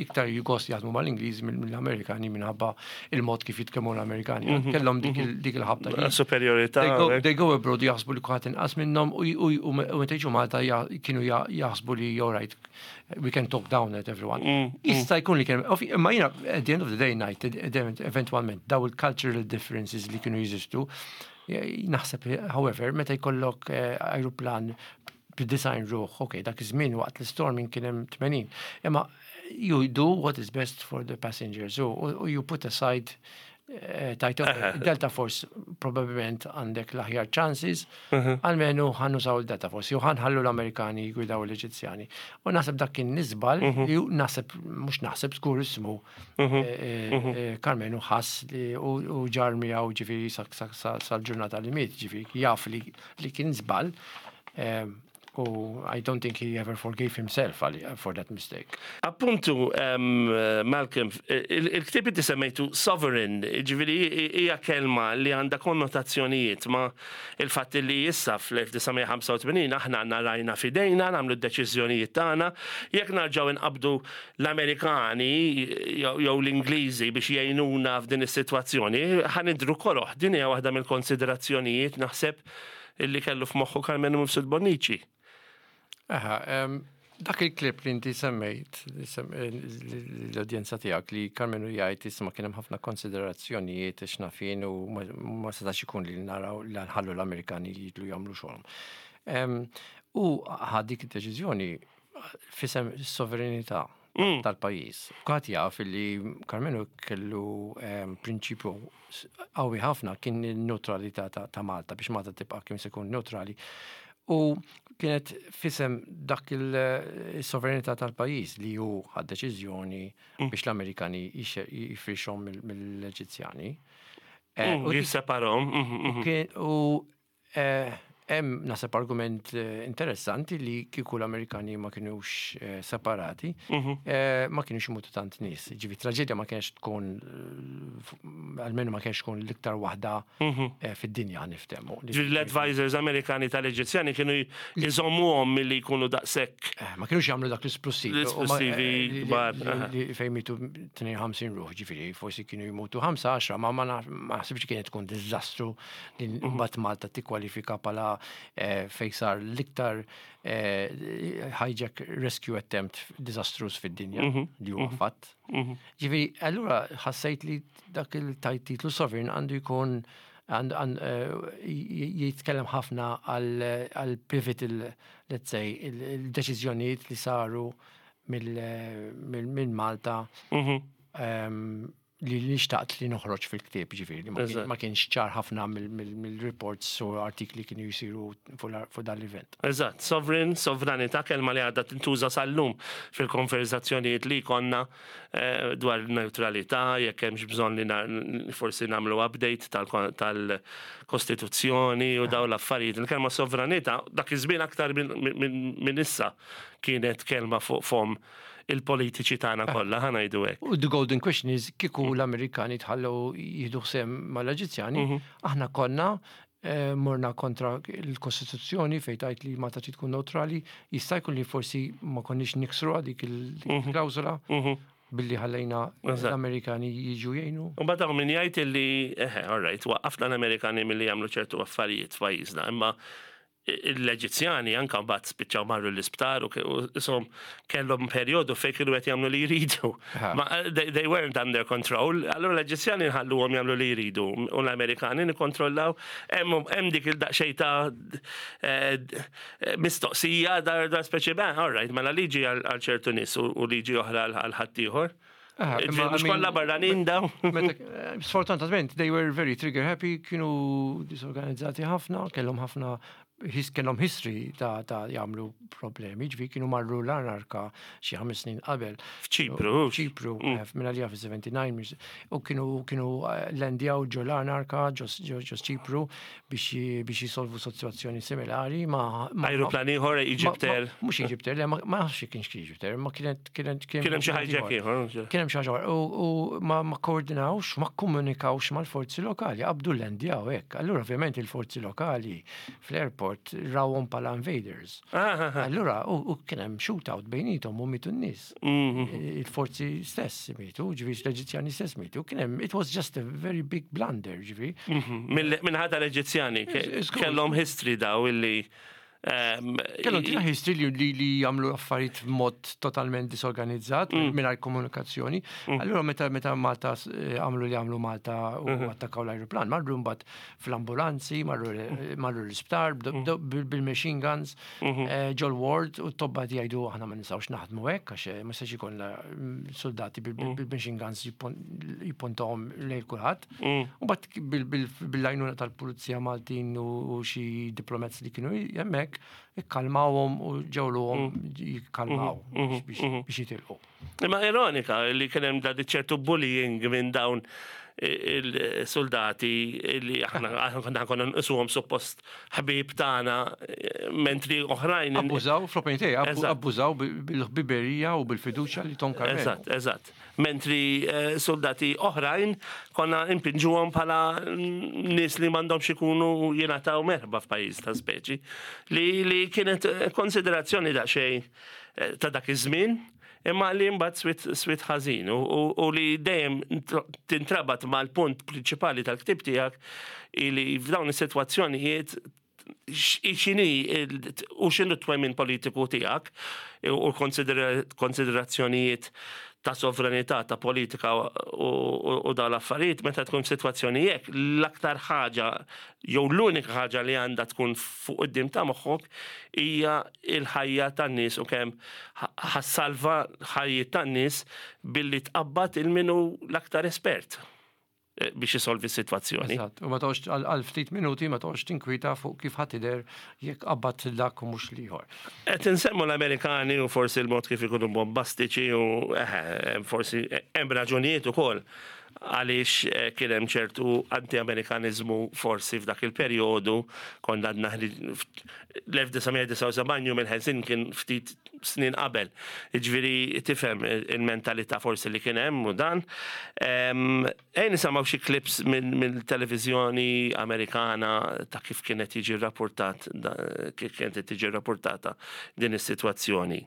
iktar gost jaħdmu mal-Ingliż mill-Amerikani minħabba il-mod kif jitkellmu l-Amerikani. Mhm, Kellhom dik mhm. il-ħabta. Superiorità. They go abroad, jaħsbu li kulħadd inqas minnhom u meta jiġu Malta kienu jaħsbu li all right, we can talk down at everyone. Mm, mm. Jista' jkun li kien, imma jiena at the end of the day ngħid eventualment daw il-cultural differences li kienu jeżistu, naħseb, however, meta jkollok eh, aeroplan b'disgħin ruħ, ok, dak iż-żmien waqt l-storming kien hemm tmenin. Imma you do what is best for the passengers u you put aside eh, tajt Delta Force probabilment għandek l-aħjar chances, almenu ħa nużaw il-Delta Force, jew ħa nħallu l-Amerikani jgwidaw l-Eġizzjani. U naħseb dak kien żball, ju naħseb, mhux naħseb, żgur ismu, eh, eh, Karmenu ħass li u ġarr miegħu ġifieri sal-ġurnata li miet, ġifieri jaf li kien żball. U I don't think he ever forgave himself for that mistake. Appuntu, um, Malcolm, il-ktieb inti semmejtu sovereign, ġifieri hija kelma li għandha konnotazzjonijiet ma il-fatt li issa fl-elf disa' mija ħamsa u tmenin aħna għandna rajna fidejna, nagħmlu d-deċiżjonijiet tagħna, jekk narġgħu nqabdu l-Amerikani jew l-Ingliżi biex jgħinuna f'din is-sitwazzjoni, ħa nidhru koroh. Din hija waħda mill-konsiderazzjonijiet naħseb illi kellu f'moħħu Karmenu Mifsud Bonnici. Aha, dak il-klip li inti semmejt l-udjenza tiegħek li Karmenu jgħid isma' kien hemm ħafna konsiderazzjonijiet x'nafin u ma setax ikun li naraw li nħallu l-Amerikani jidlu jagħmlu xogħolhom. U ħa dik id-deċiżjoni f'isem is-sovranità. Mm. Tal-pajjiż. Kulħadd jaf li Karmenu kellu em, prinċipju qawwi ħafna, kien il-neutralità ta' ta' Malta, biex Malta tibqa' kemm se jkun neutrali. U kienet f'isem dak il-sovranità tal-pajjiż li hu ħad deċiżjoni biex l-Amerikani jifrixhom mill-Eġizzjani. Eh, Mm, u dik- Jisseparahom. mhm, mhm. Kien- U eh, hemm naħseb argument eh, interessanti li kieku l-Amerikani ma kienux eh, separati, Mhm. eh, ma kienux imutu tant nies. Ġifieri traġedja ma kienx tkun, eh, f- almenu ma kienx tkun l-iktar waħda Mhm. eh, fid-dinja, niftehmu. Ġifieri l-advisors Amerikani tal-Eġizzjani kienu jżommuhom milli jkunu daqshekk. Eh, Ma kienux jagħmlu dak l-esplosivi. L-esplosivi kbar, aha. Li fejn mitu tnejn u ħamsin ruħ, ġifieri, forsi kienu jmutu ħamsa, għaxra, ma ma naf- ma naħsibx kienet tkun diżastru li Mhm. mbagħad Malta tikkwalifika bħala eh, fejn sar l-iktar eh, hijack rescue attempt disastrous fid-dinja, Mhm. li huwa fatt. Ġifieri, allura ħassejt li dak il-titlu Sovereign għandu jkun għand- għand- eh, j- jitkellem ħafna għal għal pivotal, let's say, il- il-deċiżjonijiet li saru mill- mill- minn Malta Mhm. em, li li xtaqt li noħroġ fil-ktieb, ġifieri, li ma kien- Eżatt. ma kienx ċar ħafna mill- mill- mill-reports u artikli kienu jisiru fuq la- fuq dal-event. Eżatt, sovereign, sovranità, kelma li għadha tintuża sal-lum fil-konverzazzjonijiet li konna eh, dwar neutralità, jekk hemmx bżonn li na- forsi nagħmlu update tal- tal-Kostituzzjoni u dawn l-affarijiet. Il-kelma sovranità, dak iż-żmien aktar minn min, min issa, kienet kelma fuq fom il-politiċi tagħna kollha, ħa ngħidu hekk. U the golden question is, kieku l-Amerikani tħallew jieħdu sehem mal-Eġizzjani, aħna konna eh, morna kontra l-Kostituzzjoni fejn tgħid li Malta trid tkun neutrali? Jista' jkun li forsi ma konniex niksru dik il-klawżola billi ħallejna Eżatt. l-Amerikani jiġu jgħinu. U badaw min jgħid illi, eħe, all right, waqqafna l-Amerikani milli jagħmlu ċertu affarijiet f'pajjiżna, imma l-Eġizzjani anka mbagħad spiċċaw marru l-isptar u ke- u isom kellhom perjodu fejn kienu qed jagħmlu li jridu. Ha. Ma they, they weren't under control. Allura l-Eġizzjani nħalluhom jagħmlu li jridu u l-Amerikani nikkontrollaw. Hemm hemm dik il-daqsxejn ta' eh, mistoqsija dar dar speċi ben, all right, mela liġi għal għal ċertu nies u u liġi oħra għal għal ħaddieħor. Ah, imma, Mhux I mean, kollha barranin daw. Meta, eh, sfortunatament, they were very trigger happy, kienu disorganizzati ħafna, kellhom ħafna his, kellhom history ta' ta' jagħmlu problemi, ġifieri kienu marru l-Anarka xi ħames snin qabel. F'Ċipru. Ċipru, mm. minn għalija fis-sebgħa u sebgħin, mis- u kienu kienu eh, landjaw ġo l-Anarka, ġo ġo- ġo Ċipru biex biex jisolvu situazzjoni similari ma ma- Ajruplan ieħor, Egypt ma- Air. ma- Mhux Egypt Air, le, ma ma nafx kienx Egypt Air, ma kienet kienet Kien hemm xi hijack ieħor. Kien hemm xi ħaġa u, u ma, ma koordinawx, ma komunikawx mal-forzi lokali, qabdu landjaw hekk. Allura ovvjament il-forzi lokali fl-airport rawhom bħala invaders. Ah, ah, ah. Allura u, u kien hemm shootout bejnietom u mitu n-nies. Mhm. Il-forzi stess mitu, ġifieri l-Eġizzjani stess mitu. Kien hemm, it was just a very big blunder, ġifieri. Mhm. Mill- Minħabba l-Eġizzjani ke- It's good. kellhom history daw illi ehm, Kellhom tina history li, li, li jagħmlu affarijiet b'mod totalment disorganizzat, mm. mingħajr komunikazzjoni. Allura meta meta Malta eh, għamlu li għamlu Malta u attakkaw l-ajruplan, marru mbagħad fl-ambulanzi, marru marru l-isptar bd- bd- bil- bil-machine guns, eh, ġol ward, u t-tobba jgħidu aħna ma nistgħux naħdmu hekk għax eh, ma jistax ikollna mm, soldati bil- bil- bil-machine guns jippon- jippuntawhom lejn kulħadd. U mbagħad bil-għajnuna tal-Pulizija Maltin u u xi diplomats li kienu hemmhekk, ikkalmawhom u ġegħluhom jikkalmaw biex biex jitilqu. Imma ironika li kien hemm da ċertu bullying minn dawn il-soldati li aħna aħna konna nqisuhom suppost ħbib tagħna, mentri oħrajn. Abbużaw, fl-opinjoni tiegħi, abbu- Eżatt. abbużaw bil-ħbiberija u bil-fiduċja li tahom Karmenu. Eżatt, eżatt. Mentri eh, soldati oħrajn konna impinġuhom bħala nies li m'għandhomx ikunu jingħataw merħba f'pajjiż ta' speċi. Li, li kienet eh, konsiderazzjoni daqsxejn eh, ta' dak iż-żmien, imma li mbagħad swit, swit ħażin u, u, u li dejjem tintrabat mal-punt prinċipali tal-ktib tiegħek li f'dawn is-sitwazzjonijiet x'inhi u x'inhu t-twemmin politiku tiegħek u konsiderazzjonijiet ta' sovranità, ta' politika u dal-affarijiet, meta tkun situazzjoni hekk, l-aktar ħaġa jew l-unika ħaġa li għandha tkun fuq quddiem ta' moħħok hija il-ħajja tan-nies u kemm ħa ssalva ħajjiet tan-nies billi tqabbad lil min hu l-aktar espert eh, biex jisolvi s-situazzjoni. Eżatt, u ma toqgħodx għal ftit minuti ma toqgħodx tinkwita fuq kif ħa tidher jekk qabbadt dak u mhux l-ieħor. Qed insemmu l-Amerikani u forsi l-mod kif ikunu bombastiċi u eh, forsi hemm raġunijiet ukoll għaliex eh, kien hemm ċertu anti-Amerikanizmu forsi f'dak il-perjodu. Konna għadna l-elf disa' mija disgħa u sebgħin, Jum il-Ħelsien kien ftit snin qabel. Ġifieri tifhem il-mentalità forsi li kien hemm u dan. Ejja nisimgħu xi clips mill-televiżjoni Amerikana ta' kif kienet jiġi rapportat, kif kienet tiġi rapportata din is-sitwazzjoni.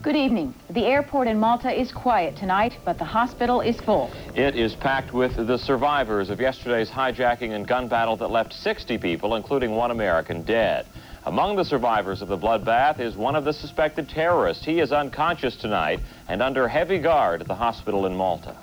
Good evening. The airport in Malta is quiet tonight, but the hospital is full. It is packed with the survivors of yesterday's hijacking and gun battle that left sixty people, including one American, dead. Among the survivors of the bloodbath is one of the suspected terrorists. He is unconscious tonight and under heavy guard at the hospital in Malta.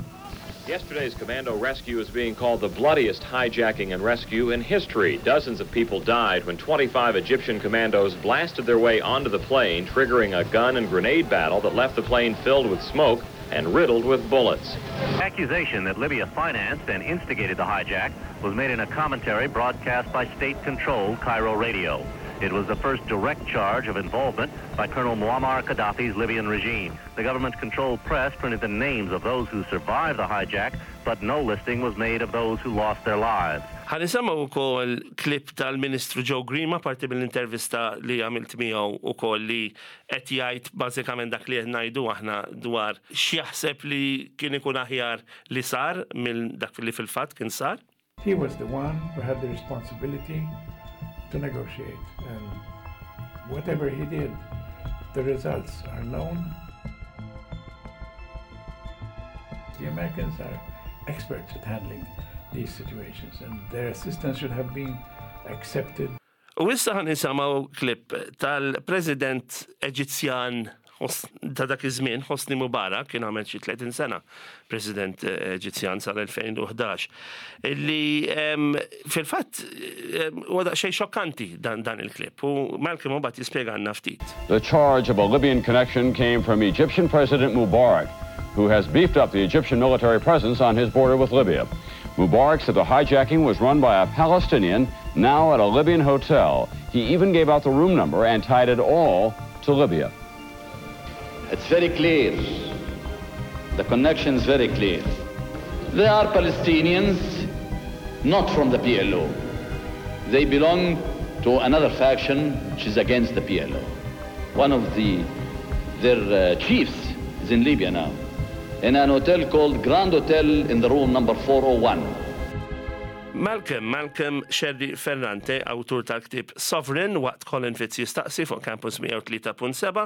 Yesterday's commando rescue is being called the bloodiest hijacking and rescue in history. Dozens of people died when twenty-five Egyptian commandos blasted their way onto the plane, triggering a gun and grenade battle that left the plane filled with smoke and riddled with bullets. Accusation that Libya financed and instigated the hijack was made in a commentary broadcast by state-controlled Cairo radio. It was the first direct charge of involvement by Colonel Muammar Gaddafi's Libyan regime. The government-controlled press printed the names of those who survived the hijack, but no listing was made of those who lost their lives. Ħa nisimgħu wkoll clip tal-Ministru Joe Grima, parti mill-intervista li għamilt miegħu ukoll, li qed jgħid bażikament dak li qed ngħidu aħna dwar x'jaħseb li kien ikun aħjar li sar mill dak li fil-fatt kien sar. He was the one who had the responsibility to negotiate, and whatever he did, the results are known. The Americans are experts at handling these situations, and their assistance should have been accepted. U issa ħa nisimgħu clip tal-President Eġizzjan ta' dak iż-żmien, Hosni Mubarak, kien għamel xi tletin sena President Eġizzjan sal-elfejn u ħdax, illi fil-fatt huwa daqsxejn xokkanti dan dan il-clip u Malcolm mbagħad jispjegana ftit. The charge of a Libyan connection came from Egyptian President Mubarak, who has beefed up the Egyptian military presence on his border with Libya. Mubarak said the hijacking was run by a Palestinian now at a Libyan hotel. He even gave out the room number and tied it all to Libya. It's very clear. The connection is very clear. They are Palestinians, not from the P L O. They belong to another faction which is against the P L O. One of the, their uh, chiefs is in Libya now, in an hotel called Grand Hotel in the room number four oh one. Malcolm, Malcolm Scerri Ferrante, awtur tal-ktib Sovereign, waqt Colin Fitz Jistaqsi fuq Campus mija u tlieta punt seba',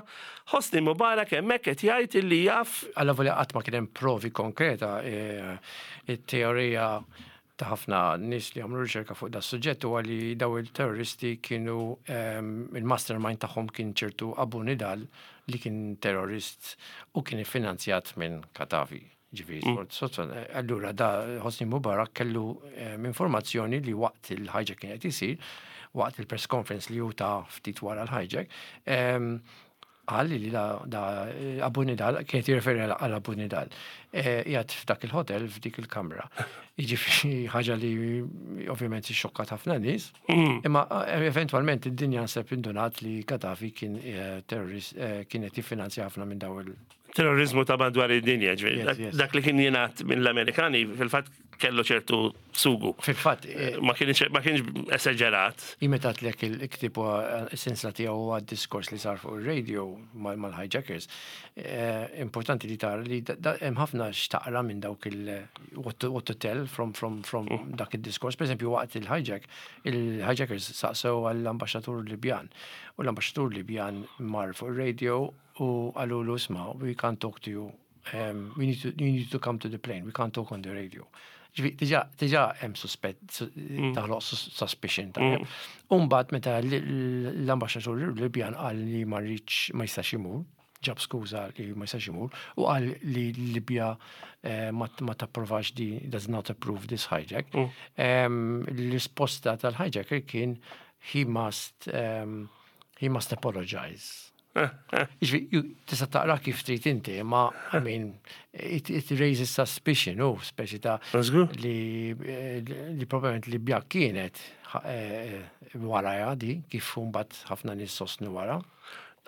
Hosni Mubarak hemmhekk qed jgħid illi jaf. Alla volja qatt ma kien hemm provi konkreta, eh, it-teorija ta' ħafna nies li għamlu riċerka fuq da suġġett huwa li daw il-terroristi kienu ehm, il-mastermind tagħhom kien ċertu Abu Nidal li kien terrorist u kien iffinanzjat minn Gaddafi. Ġifieri, mm. allura da Hosni Mubarak kellu ehm, informazzjoni li waqt il-hijack kien qed isir, waqt il-press conference li hu ta ftit wara l-hijack, ehm, qal li da, da Abu Nidal, kienet jirreferi għal Abu Nidal, qiegħed f'dak il-hotel f'dik il-kamra. Jiġifieri ħaġa li ovvjament xokkat ħafna nies, imma eventualment id-dinja nseb indunat li Gaddafi kien terrorist, kien qed jiffinanzja ħafna minn daw il- terrorizmu ta' madwar id-dinja, ġifieri. Dak li kien jingħad mill-Amerikani fil-fatt kellu ċertu sugu. Fil-fatt, Ma kienx ma kienx esaġerat. Meta lek il-ktib essenzja tiegħu huwa diskors li sar fuq ir-radio mal-hijackers. Importanti li tara li hemm ħafna x'taqra minn dawk il what to, what to tell from from from dak id-diskors. Per esempio, waqt il-hijack, il-hijackers saqsew għall-ambaxxatur Libjan. U l-ambaxxatur Libjan mar fuq ir-radio u qalulu, "Isma', we can't talk to you. Um, we need to, you need to come to the plane. We can't talk on the radio." Ġifieri, diġà, diġà hemm suspett, taħloq suspicion. Umbagħad meta l-ambaxxatur Libjan qal li ma rridx, ma jistax imur, ġab skuża li ma jistax imur u qal li Libja eh, ma ma tapprovax di, does not approve this hijack. Em, L-risposta tal-hijacker kien he must um, he must apologize. Jiġifieri, ju- tista' taqra kif trid inti, ma I mean, it, it raises suspicion, u speċi ta' Żgur. li, eh, li probablement Libja kienet eh, wara di, kif mbagħad ħafna nies sostnu wara.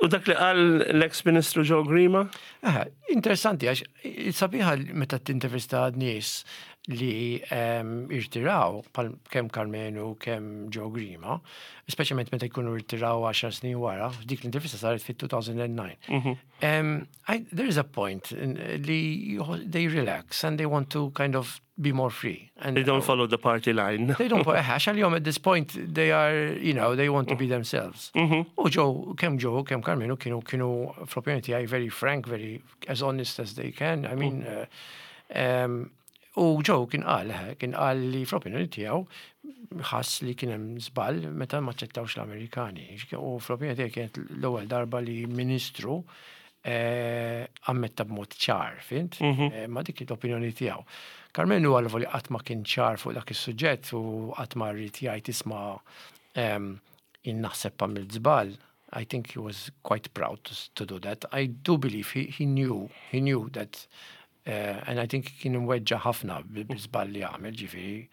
U dak li qal l-ex-ministru Joe Grima? Eh, interessanti, għax sabiħa meta tintervista nies li um, irtiraw, pal kemm Karmenu, kemm Joe Grima, speċjalment meta jkunu irtiraw għaxar snin wara, dik l-intervista saret fit-elfejn u disa'. Um, I, there is a point in, li they relax and they want to kind of be more free. And They don't follow the party line. They don't, għax għalihom at this point, they are, you know, they want to be themselves. U Joe, kemm Joe, kemm Karmenu kienu, kienu, fl-opinjoni tiegħi, very frank, very as honest as they can. I mean, uh, um, u Joe kien qal, eh, kien qal li fl-opinjoni tiegħu ħass li kien hemm żball meta ma ċċettawx l-Amerikani. U fl-opinjoni tiegħi kienet l-ewwel darba li ministru eh, ammetta b'mod ċar, fhimt? Eh, ma dik l-opinjoni tiegħu. Karmenu għal li qatt ma kien ċar fuq dak is-suġġett u qatt ma rrid jgħid, "Isma', em, jien naħseb għamilt żball." I think he was quite proud to, to do that. I do believe he, he knew, he knew that uh, and I think kien imweġġa ħafna bil-żball li għamel, ġifieri.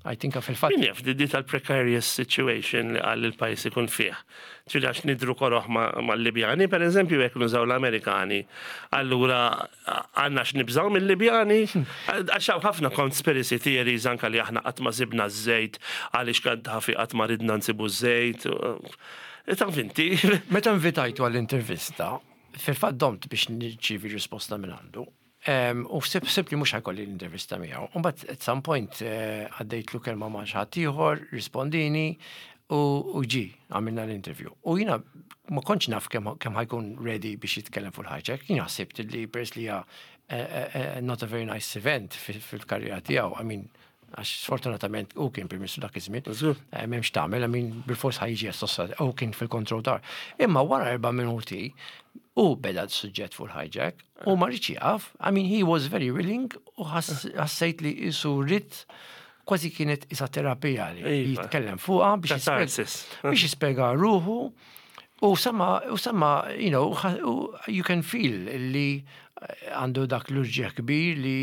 I think fil-fatt. Min jaf, di di tal-precarious situation li għal il-pajis ikun fih. Ġifieri għax nidhru koroh mal-Libjani, per eżempju, jekk nużaw l-Amerikani. Allura, għandna x'nibżaw mill-Libjani? Għax hawn ħafna conspiracy theories anka li aħna qatt ma sibna ż-żejt, għaliex Gaddafi qatt ma ridna nsibu ż-żejt. Taf inti. Meta invitajtu għall-intervista, fil-fatt domt biex nirċievi risposta minn għandu. Um, u ħsibt ħsibt li mhux ħa jkolli l-intervista miegħu. U mbagħad at some point eh, għaddejtlu kelma ma' xi ħadd ieħor, rispondini u, u ġi għamilna l-interview. U jiena ma kontx naf kemm kemm ħa jkun ready biex jitkellem fuq il-hijack. Jiena ħsibt li peress li hija eh, eh, eh, not a very nice event fil-karriera tiegħu. I mean, għax sfortunatament u kien Prim Ministru dak iż-żmien. Eh, M'hemmx tagħmel, I mean, bil-fors ħa jiġi assossat, u kien fil-control tower. Imma wara erba' minuti u beda s-suġġett fuq il-hijack u ma riedx jieqaf. I mean, he was very willing u ħassejt li qisu ried, kważi kienet isa terapija li Iva. jitkellem fuqha biex jispjega- Catharsis. biex jispjega ruħu u sama, u sama, you know, ħa- u you can feel li għandu dak l-uġigħ kbir li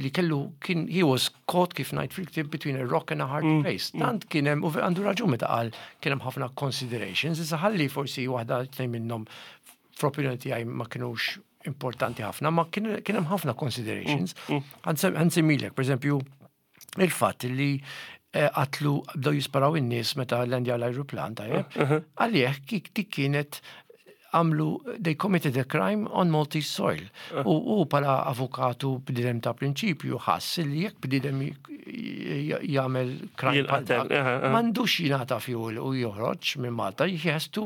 li kellu kien he was caught, kif ngħid fil-ktib, between a rock and a hard place. Tant kien hemm, u għandu raġun meta qal kien hemm ħafna considerations, issa ħalli forsi waħda, tnejn minnhom fl-opinjoni tiegħi ma kinux importanti ħafna, ma kien kien hemm ħafna considerations. Ħa nsemmilek, per eżempju, il-fatt li eh, qatlu, bdew jisparaw in-nies meta landja l-ajruplan, tajjeb. Għalih kik dik kienet għamlu, they committed a crime on Maltese soil. U, u bħala avukatu, bniedem ta' prinċipju, ħass li jekk bniedem jagħmel crime bħal Jinqatel, dak, aha, aha. m'għandux jingħata fuel u joħroġ minn Malta, he has to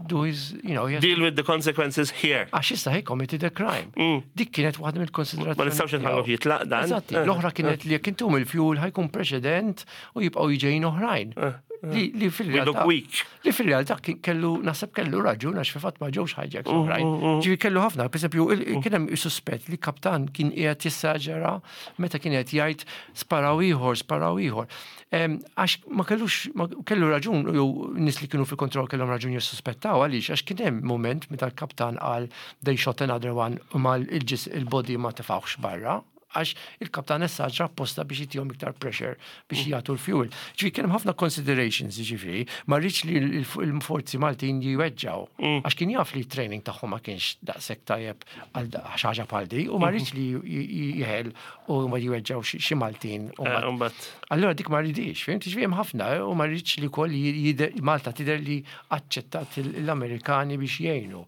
do his, you know, he has Deal with the consequences here. Għax issa he committed a crime. Dik kienet waħda mill-konsiderazzjoni. Ma nistgħux nħalluh jitlaq dan. Eżatti, l-oħra kienet li jekk intuhom il-fuel ħa jkun preċedent u jibqgħu jiġejn oħrajn. Li, li We fil-realtà. look weak. Li fil-realtà kien kellu, naħseb kellu raġun, għax fil-fatt ma ġewx hijacks oħrajn. Ġifieri kellu ħafna, per eżempju, il- kien hemm suspett li kaptan kien qiegħed jessaġera meta kien qed jgħid "sparaw ieħor, sparaw ieħor". Em, Għax ma kellux, ma kellu raġun, jew nies li kienu fil-kontroll kellhom raġun jissuspettaw, għaliex għax kien hemm moment meta l-kaptan qal "they shot another one" u mal il-ġis il-body ma tefawx barra, għax il-kaptan essaġra apposta biex jtihom iktar pressure biex jagħtu l-fuel. Ġifieri kien hemm ħafna considerations, ġifieri, ma rridx li l- il-forzi Maltin jiweġġaw. Għax kien jaf li training tagħhom ma kienx daqshekk tajjeb għal da- xi ħaġa bħal di u ma rridx li j- jeħel u ma jiweġġaw xi xi Maltin. U Eh, ma- Mbagħad. Allora dik ma rridix, fhimt? Ġifieri hemm ħafna u ma rridx li koll jider, Malta tidher li aċċettat l-Amerikani biex jgħinu.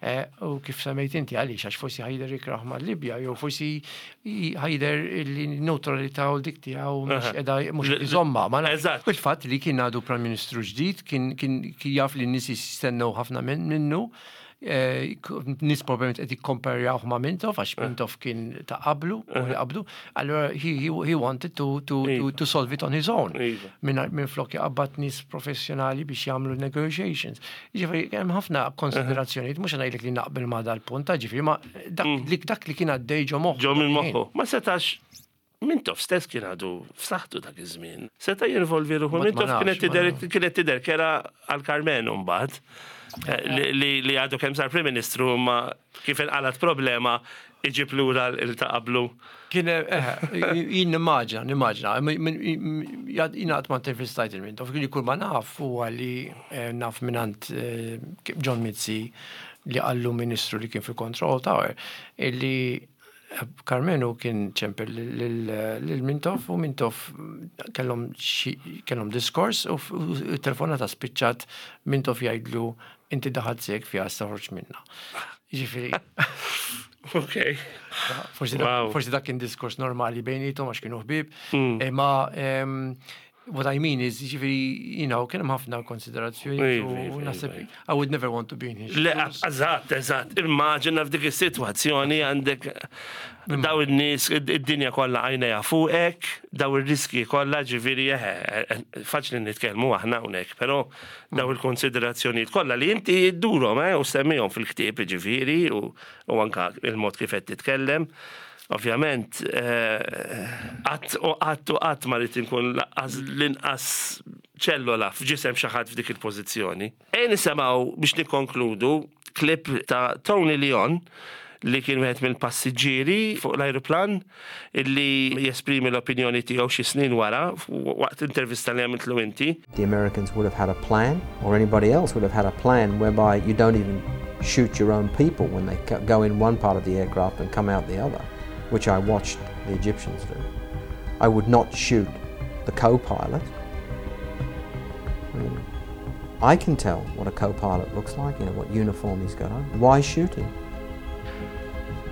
Eh, U kif semmejt inti, għaliex, għax forsi ħa jidher ikrah ma' Libja, jew forsi ħa jidher li neutralità u dik tiegħu mhux qiegħda mhux iżomma. Ma nafx. Eżatt. Il-fatt li kien għadu Prime Ministru ġdid, kien kien kien jaf li n-nies jistennew ħafna min- minnu, eh, nies probabbilment qed jikkomparjawh ma' Mintoff, għax Mintoff kien ta' qablu, u li qablu, allura he, he, he wanted to, to, to, to solve it on his own. Iva. Minn minn flok jaqbad nies professjonali biex jagħmlu negotiations. Ġifieri hemm ħafna konsiderazzjonijiet, mhux ngħidlek li naqbel ma' dal-punt, ġifieri ma dak li dak li kien għaddej ġo moħħu. Ġo minn moħħu. Ma setax, Mintoff stess kien għadu f'saħħtu dak iż-żmien. Seta' jinvolvi ruħu. Ma- ma Mintoff nafx, kienet ma tidher nafx. kienet tidher kera għal Karmenu mbagħad. Eh, li- Li li għadu kemm sar Prim Ministru, ma kif inqalat problema iġib lura il ta' qablu. Kien, eh, jien nimmaġina, nimmaġina, jien għad ma intervistajt il-Mintoff, kien kull ma naf huwa li eh, naf mingħand eh, John Mizzi li qallu ministru li kien fil-Control Tower, illi Karmenu kien ċempel lil Mintoff u Mintoff kellhom xi- kellhom diskors u f- u telefonata spiċċat Mintoff jgħidlu, "Inti daħalt sieqek fiha, toħroġ minnha." Ġifieri, Ok. Forsi dak, Wow. forsi dak kien diskors normali bejnietom għax kienu ħbieb. Mm. Imma em, what I mean is, ġifieri, you know, kien hemm ħafna konsiderazzjoni Iva, u iva, naħseb iva. I would never want to be in his Le, shoes. eżatt, eżatt. Immaġina f'dik is-sitwazzjoni għandek daw in-nies, id-dinja kollha għajnejha fuqek, daw ir-riski kollha, ġifieri eħe, faċli nitkellmu aħna hawnhekk, però daw il-konsiderazzjonijiet kollha li inti ddurhom eh, u semmihom fil-ktieb, ġifieri, u u anka il-mod kif qed titkellem. Ovvjament, qatt u qatt u qatt ma rrid inkun lanqas l-inqas ċellola f'ġisem xi ħadd f'dik il-pożizzjoni. E nisimgħu, biex nikkonkludu, klip ta' Tony Leon, li kien wieħed mill-passiġġieri fuq l-ajruplan, illi jesprimi l-opinjoni tiegħu xi snin wara waqt intervista li għamiltlu inti. The Americans would have had a plan, or anybody else would have had a plan whereby you don't even shoot your own people when they co- go in one part of the aircraft and come out the other, which I watched the Egyptians do. I would not shoot the co-pilot. I mean, I can tell what a co-pilot looks like, you know, what uniform he's got on. Why shoot him?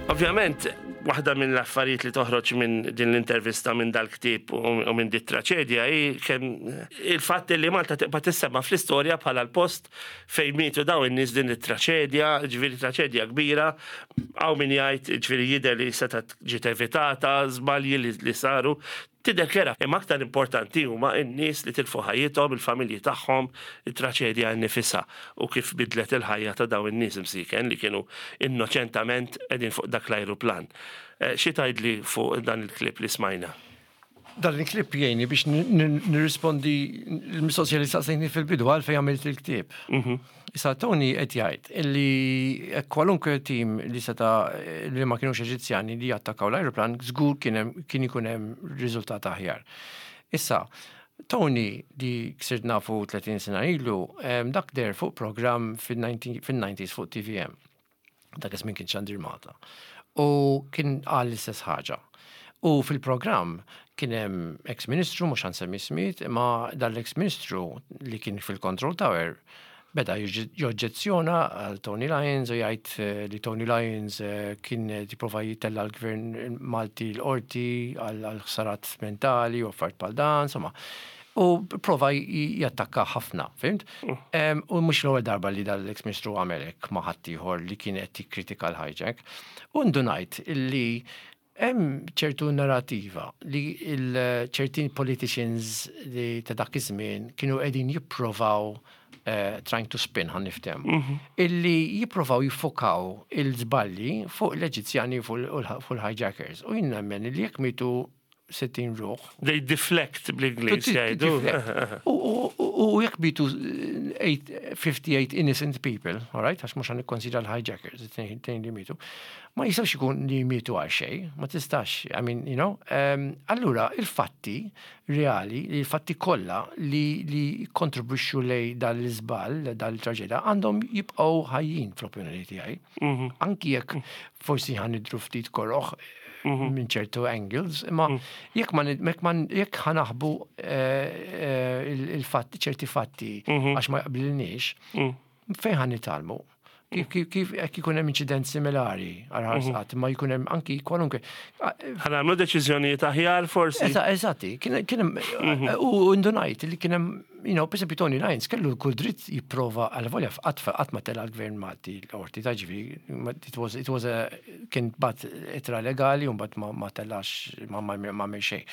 Ovvjament, waħda minn l-affarijiet li toħroġ minn din l-intervista, minn dal-ktieb u u minn dit traċedja hi kemm il-fatt li Malta tibqa' tissemma fl-istorja bħala l-post fejn mietu daw in-nies, din it-traċedja, ġifieri traċedja kbira, hawn min jgħid, ġifieri, jidher li setgħet ġiet evitata, żbalji li, li saru, tidher kera. Imma aktar importanti huma n-nies li tilfu ħajjithom, il-familji tagħhom, it-traċedja nnifisha u kif bidlet il-ħajja ta' daw in-nies imsiken li kienu innoċentament qegħdin fuq dak l-ajruplan. Eh, Xi tgħidli fuq dan il-klip li smajna? Dan il-klip jgħinni biex nirrispondi l-mistoqsija li staqsejtni fil-bidu, għalfejn għamilt il-ktieb. Issa Tony qed jgħid illi kwalunkwe tim li seta li ma kienux Eġizzjani li jattakaw l-ajruplan żgur kien hemm- kien ikun hemm riżultat aħjar. Issa, Tony li sirt nafu tletin sena ilu, em, dak deher fuq program fil-nineties fuq T V M. Dak iż-żmien kien Xandir Malta. U kien qal l-istess ħaġa. U fil-programm kien hemm ex-ministru, mhux ħa nsemmi ismijiet, imma dal-ex-ministru li kien fil-Control Tower beda joġġezzjona għal Tony Lyons u jgħid eh, li Tony Lyons eh, kien jipprova jitella l-gvern Malti l-qorti għal ħsarat mentali u affarijiet bħal dan, insomma. U prova jattakka ħafna, fhimt? Em, U mhux l-ewwel darba li dal-ex-ministru għamel hekk ma' ħaddieħor li kien qed jikkritika l-hijack. U ndunajt illi hemm ċertu narrativa li il-ċertin politicians li ta' dak iż-żmien kienu qegħdin jipprovaw uh, trying to spin, ħa niftehmu. Illi jipprovaw jiffokaw il-żballi fuq l-Eġizzjani, fuq il-hijackers. U jien nemmen li jekk mietu sittin ruħ. They deflect, bl-Ingliż jgħidu. U u jekk mietu fifty-eight innocent people, all right, għax mhux ħa nikkonsidra l-hijackers, it-tnejn li mietu, ma jistawx ikun li mietu għal xejn, ma tistax, I mean, you know, um, allura il-fatti reali, il-fatti kollha li, li kontribwixxu lejn dal-iżball, dal-traġedja, għandhom jibqgħu ħajjin fl-opinjoni tiegħi. Anki jekk forsi ħa nidhru ftit koroħ minn ċertu angles, imma jekk ma jekk ma jekk ħa naħbu il-fatti, ċerti fatti għax ma jaqblilniex, fejn ħa nitgħallmu? Kif kif kif jekk ikun hemm inċident similari għal ħarsqat, ma jkun hemm anki kwalunkwe. Ħa nagħmlu deċiżjonijiet aħjar forsi. Eżatti, kien hemm u ndunajt li kien hemm you know, per esempio Tony Lyons kellu kull dritt jipprova, għal volja qatt qatt ma tela l-gvern Malti l-qorti, ta' ġifieri, it was, it was a, kien bagħat ittra legali u mbagħad ma, ma telax, ma ma ma għamel xejn.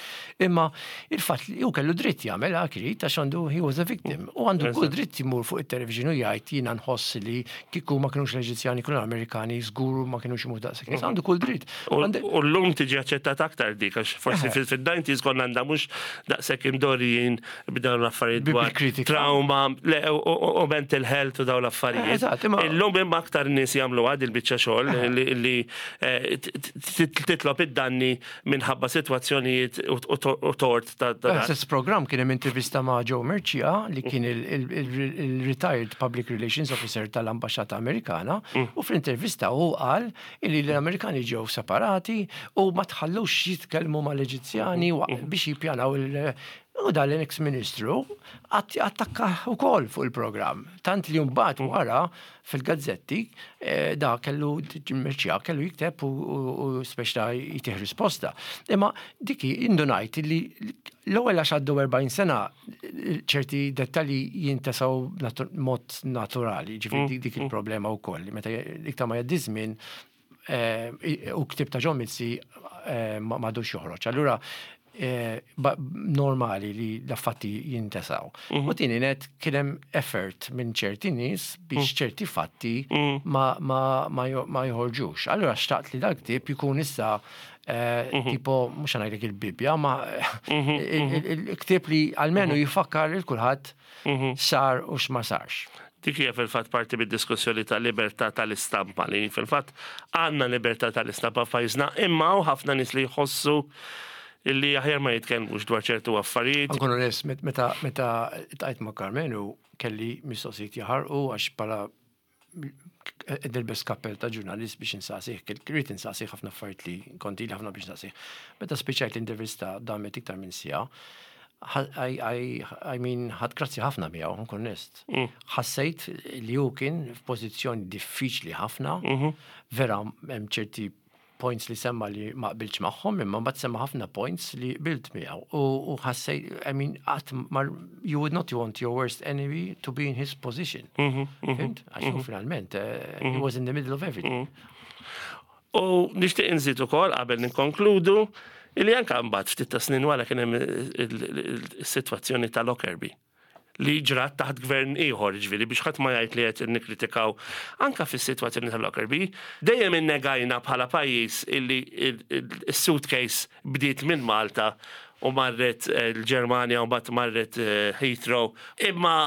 Imma il-fatt li hu kellu dritt jagħmel hekk irid għax għandu, he was a victim. U għandu kull dritt jmur fuq it-television u jgħid, "Jiena nħoss li kieku ma kienux l-Eġizzjani, kienu l-Amerikani, żgur ma kienux imut daqshekk nies." Għandu kull dritt. U u l-lum tiġi aċċettat aktar dik, għax forsi fil-nineties konna għandna mhux daqshekk imdorrijin b'dawn l-affarijiet Bi- dwar bil-kritika. trauma le, u- u u mental health u dawn l-affarijiet. Eżatt, imma- Illum imma aktar nies jagħmlu għad il-biċċa xogħol li li, eh, t- t- titlob id-danni minħabba sitwazzjonijiet u u- u tort ta' ta' Stess program kien hemm intervista ma' Joe Mercia, li kien il-retired public relations officer tal-Ambaxxata Amerikana, u fl-intervista hu qal li l-Amerikani ġew separati u ma tħallux jitkellmu mal-Eġizzjani wa- biex jippjanaw il- U dan l-ex ministru attakka ukoll fuq il-programm. Tant li mbagħad wara fil-gazzetti eh, da kellu Mercia kellu jikteb u, u, u speċta jtih risposta. Imma diki indunajt li l-ewwel, għax għaddu erbgħin sena, ċerti dettalji jintesaw natu mod naturali, ġifieri dik, dik il-problema wkoll. Meta iktar ma jgħaddi żmien eh, u ktib ta' John Mizzi eh, ma m'għadux joħroġ. Allura eh, ba- normali li l-fatti jintesaw. U tieni net, kien hemm effort minn ċerti nies biex ċerti fatti ma, ma, ma, jo- ma joħorġux. Allura xtaqt li dal-ktib jkun issa eh, tipo, mhux ngħidlek il-Bibja, ma il- il- il-ktib li almenu jifakkar lil kulħadd sar u x'ma sarx. Dik hija fil-fatt parti bid-diskussjoni ta' libertà tal-istampa, li fil-fatt għandna libertà tal-istampa f'pajjiżna, imma hawn ħafna nies li jħossu illi aħjar ma jitkellmux dwar ċertu affarijiet. Nkun onest, met- meta meta ltqajt ma' Karmenu kelli mistoqsijiet jaħarqu, għax bħala nilbes kappell ta' ġurnalist biex insaqsih, rrid insaqsih ħafna affarijiet li konti li ħafna biex insaqsih. Meta spiċċajt l-intervista, damet iktar minn siegħa, I, I, I mean, ħadt grazzi ħafna miegħu, nkun onest. Ħassejt li hu kien f'pożizzjoni diffiċli ħafna, vera hemm ċerti points li semma li ma qbiltx magħhom, imma mbagħad semma ħafna points li qbilt miegħu. U u ħassejt, I mean, qatt ma you would not want your worst enemy to be in his position. Fhimt? Għax hu finalment, eh, he was in the middle of everything. U nixtieq inżid ukoll qabel nikkonkludu illi anke mbagħad ftit ta' snin wara kien hemm il-sitwazzjoni ta' Lockerbie li ġrat taħt gvern ieħor, ġifieri biex ħadd ma jgħid li qed nikkritikaw. Anka fis-sitwazzjoni ta' Lockerbie, dejjem innegajna bħala pajjiż illi il-suitcase bdiet minn Malta u marret eh, l-Ġermanja u mbagħad marret eh, Heathrow. Imma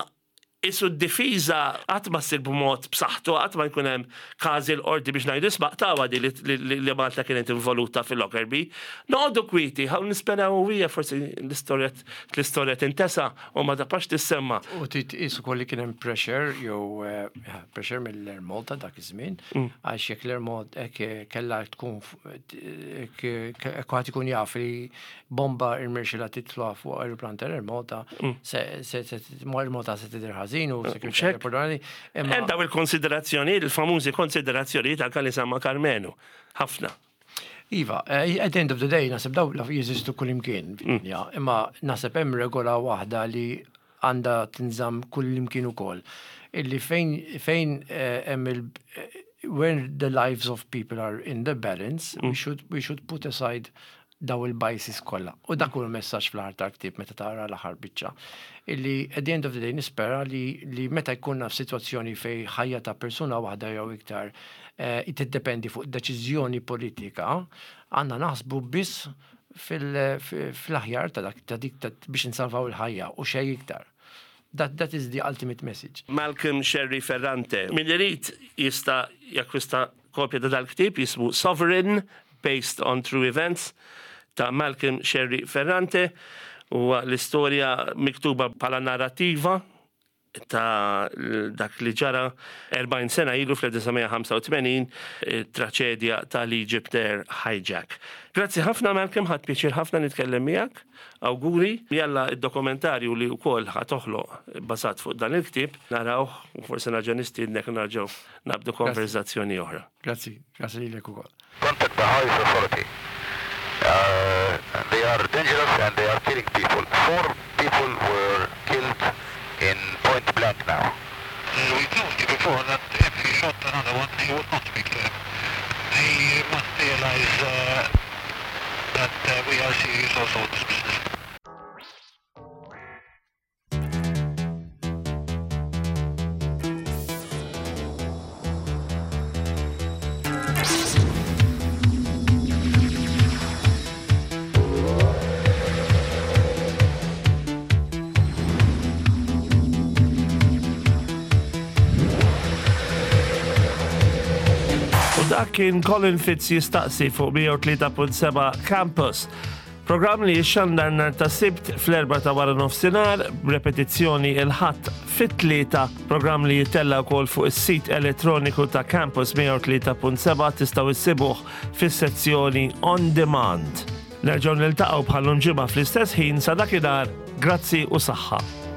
isu d-difiża qatt ma ssir b'mod b'saħħtu, qatt ma jkun hemm każi l-qorti biex ngħidu, "Isma', tawa di li, li, li Malta kienet involuta fil-Lockerbie." Noqogħdu kwieti, ħaw nisperaw u hija forsi l-istorja l-istorja tintesa u ma tibqax tissemma. U titqis ukoll li kien hemm pressure jew eh, pressure mill-Air Malta dak iż-żmien, għax jekk l-Air Malta hekk kellha tkun hekk ħadd ikun jaf li bomba irnexxielha titla' fuq aeroplan tal-Air Malta, se se se Air Malta se tidher ħażin u security Check. aeroplanali. Imma Hemm daw il-konsiderazzjoni, il-famużi konsiderazzjoni ta' li semma Karmenu. Ħafna. Iva, eh, at the end of the day, naħseb daw la jeżistu kullimkien fid-dinja, imma naħseb hemm regola waħda li għandha tinżamm kullimkien ukoll. Illi fejn fejn eh, hemm il eh, when the lives of people are in the balance, we should we should put aside daw il-biases kollha. U dak hu l-messaġġ fl-aħħar tal-ktieb meta tara l-aħħar biċċa. Illi at the end of the day nispera li, li meta jkunna f'sitwazzjoni fej ħajja ta' persuna waħda jew iktar eh, tiddependi fuq deċiżjoni politika, għandna naħsbu biss fil- fil-aħjar ta' dak ta' dik ta' biex insalvaw il-ħajja u xejn iktar. That, that is the ultimate message. Malcolm Scerri Ferrante. Min irid jista' jakkwista kopja ta' dal-ktib jismu Sovereign, Based on True Events, ta' Malcolm Scerri Ferrante, u l-istorja miktuba bħala narrativa ta' dak li ġara erbgħin sena ilu fl-elf disa' mija ħamsa u tmenin, traċedja tal-Egypt Air hijack. Grazzi ħafna, Malcolm, ħadt pjaċir ħafna nitkellem miegħek. Awguri, jalla id-dokumentarju li wkoll ħa toħloq bażat fuq dan il-ktieb narawh u forsi nerġa' nistiednek nerġgħu nabdu konverzazzjoni oħra. Grazzi, grazzi lilek ukoll. Contact the highest authority. Uh, they are dangerous. dangerous and they are killing people. Four people were killed in point blank now. Uh, we told you before that if he shot another one, he would not be clear. He must realize uh, that uh, we are serious also in this business. U dak kien Colin Fitz jistaqsi fuq mija u tlieta punt seba' Campus. Programm li jixxandar nhar ta' Sibt fl-erbgħa ta' wara nofsinhar, b'repetizzjoni il-Ħadd fit-tlieta, programm li jittella' wkoll fuq is-sit elettroniku ta' Campus mija u tlieta punt seba', tistgħu issibuh fis-sezzjoni On Demand. Nerġgħu niltaqgħu bħal ġimgħa fl-istess ħin. Sa dakinhar, grazzi u saħħa.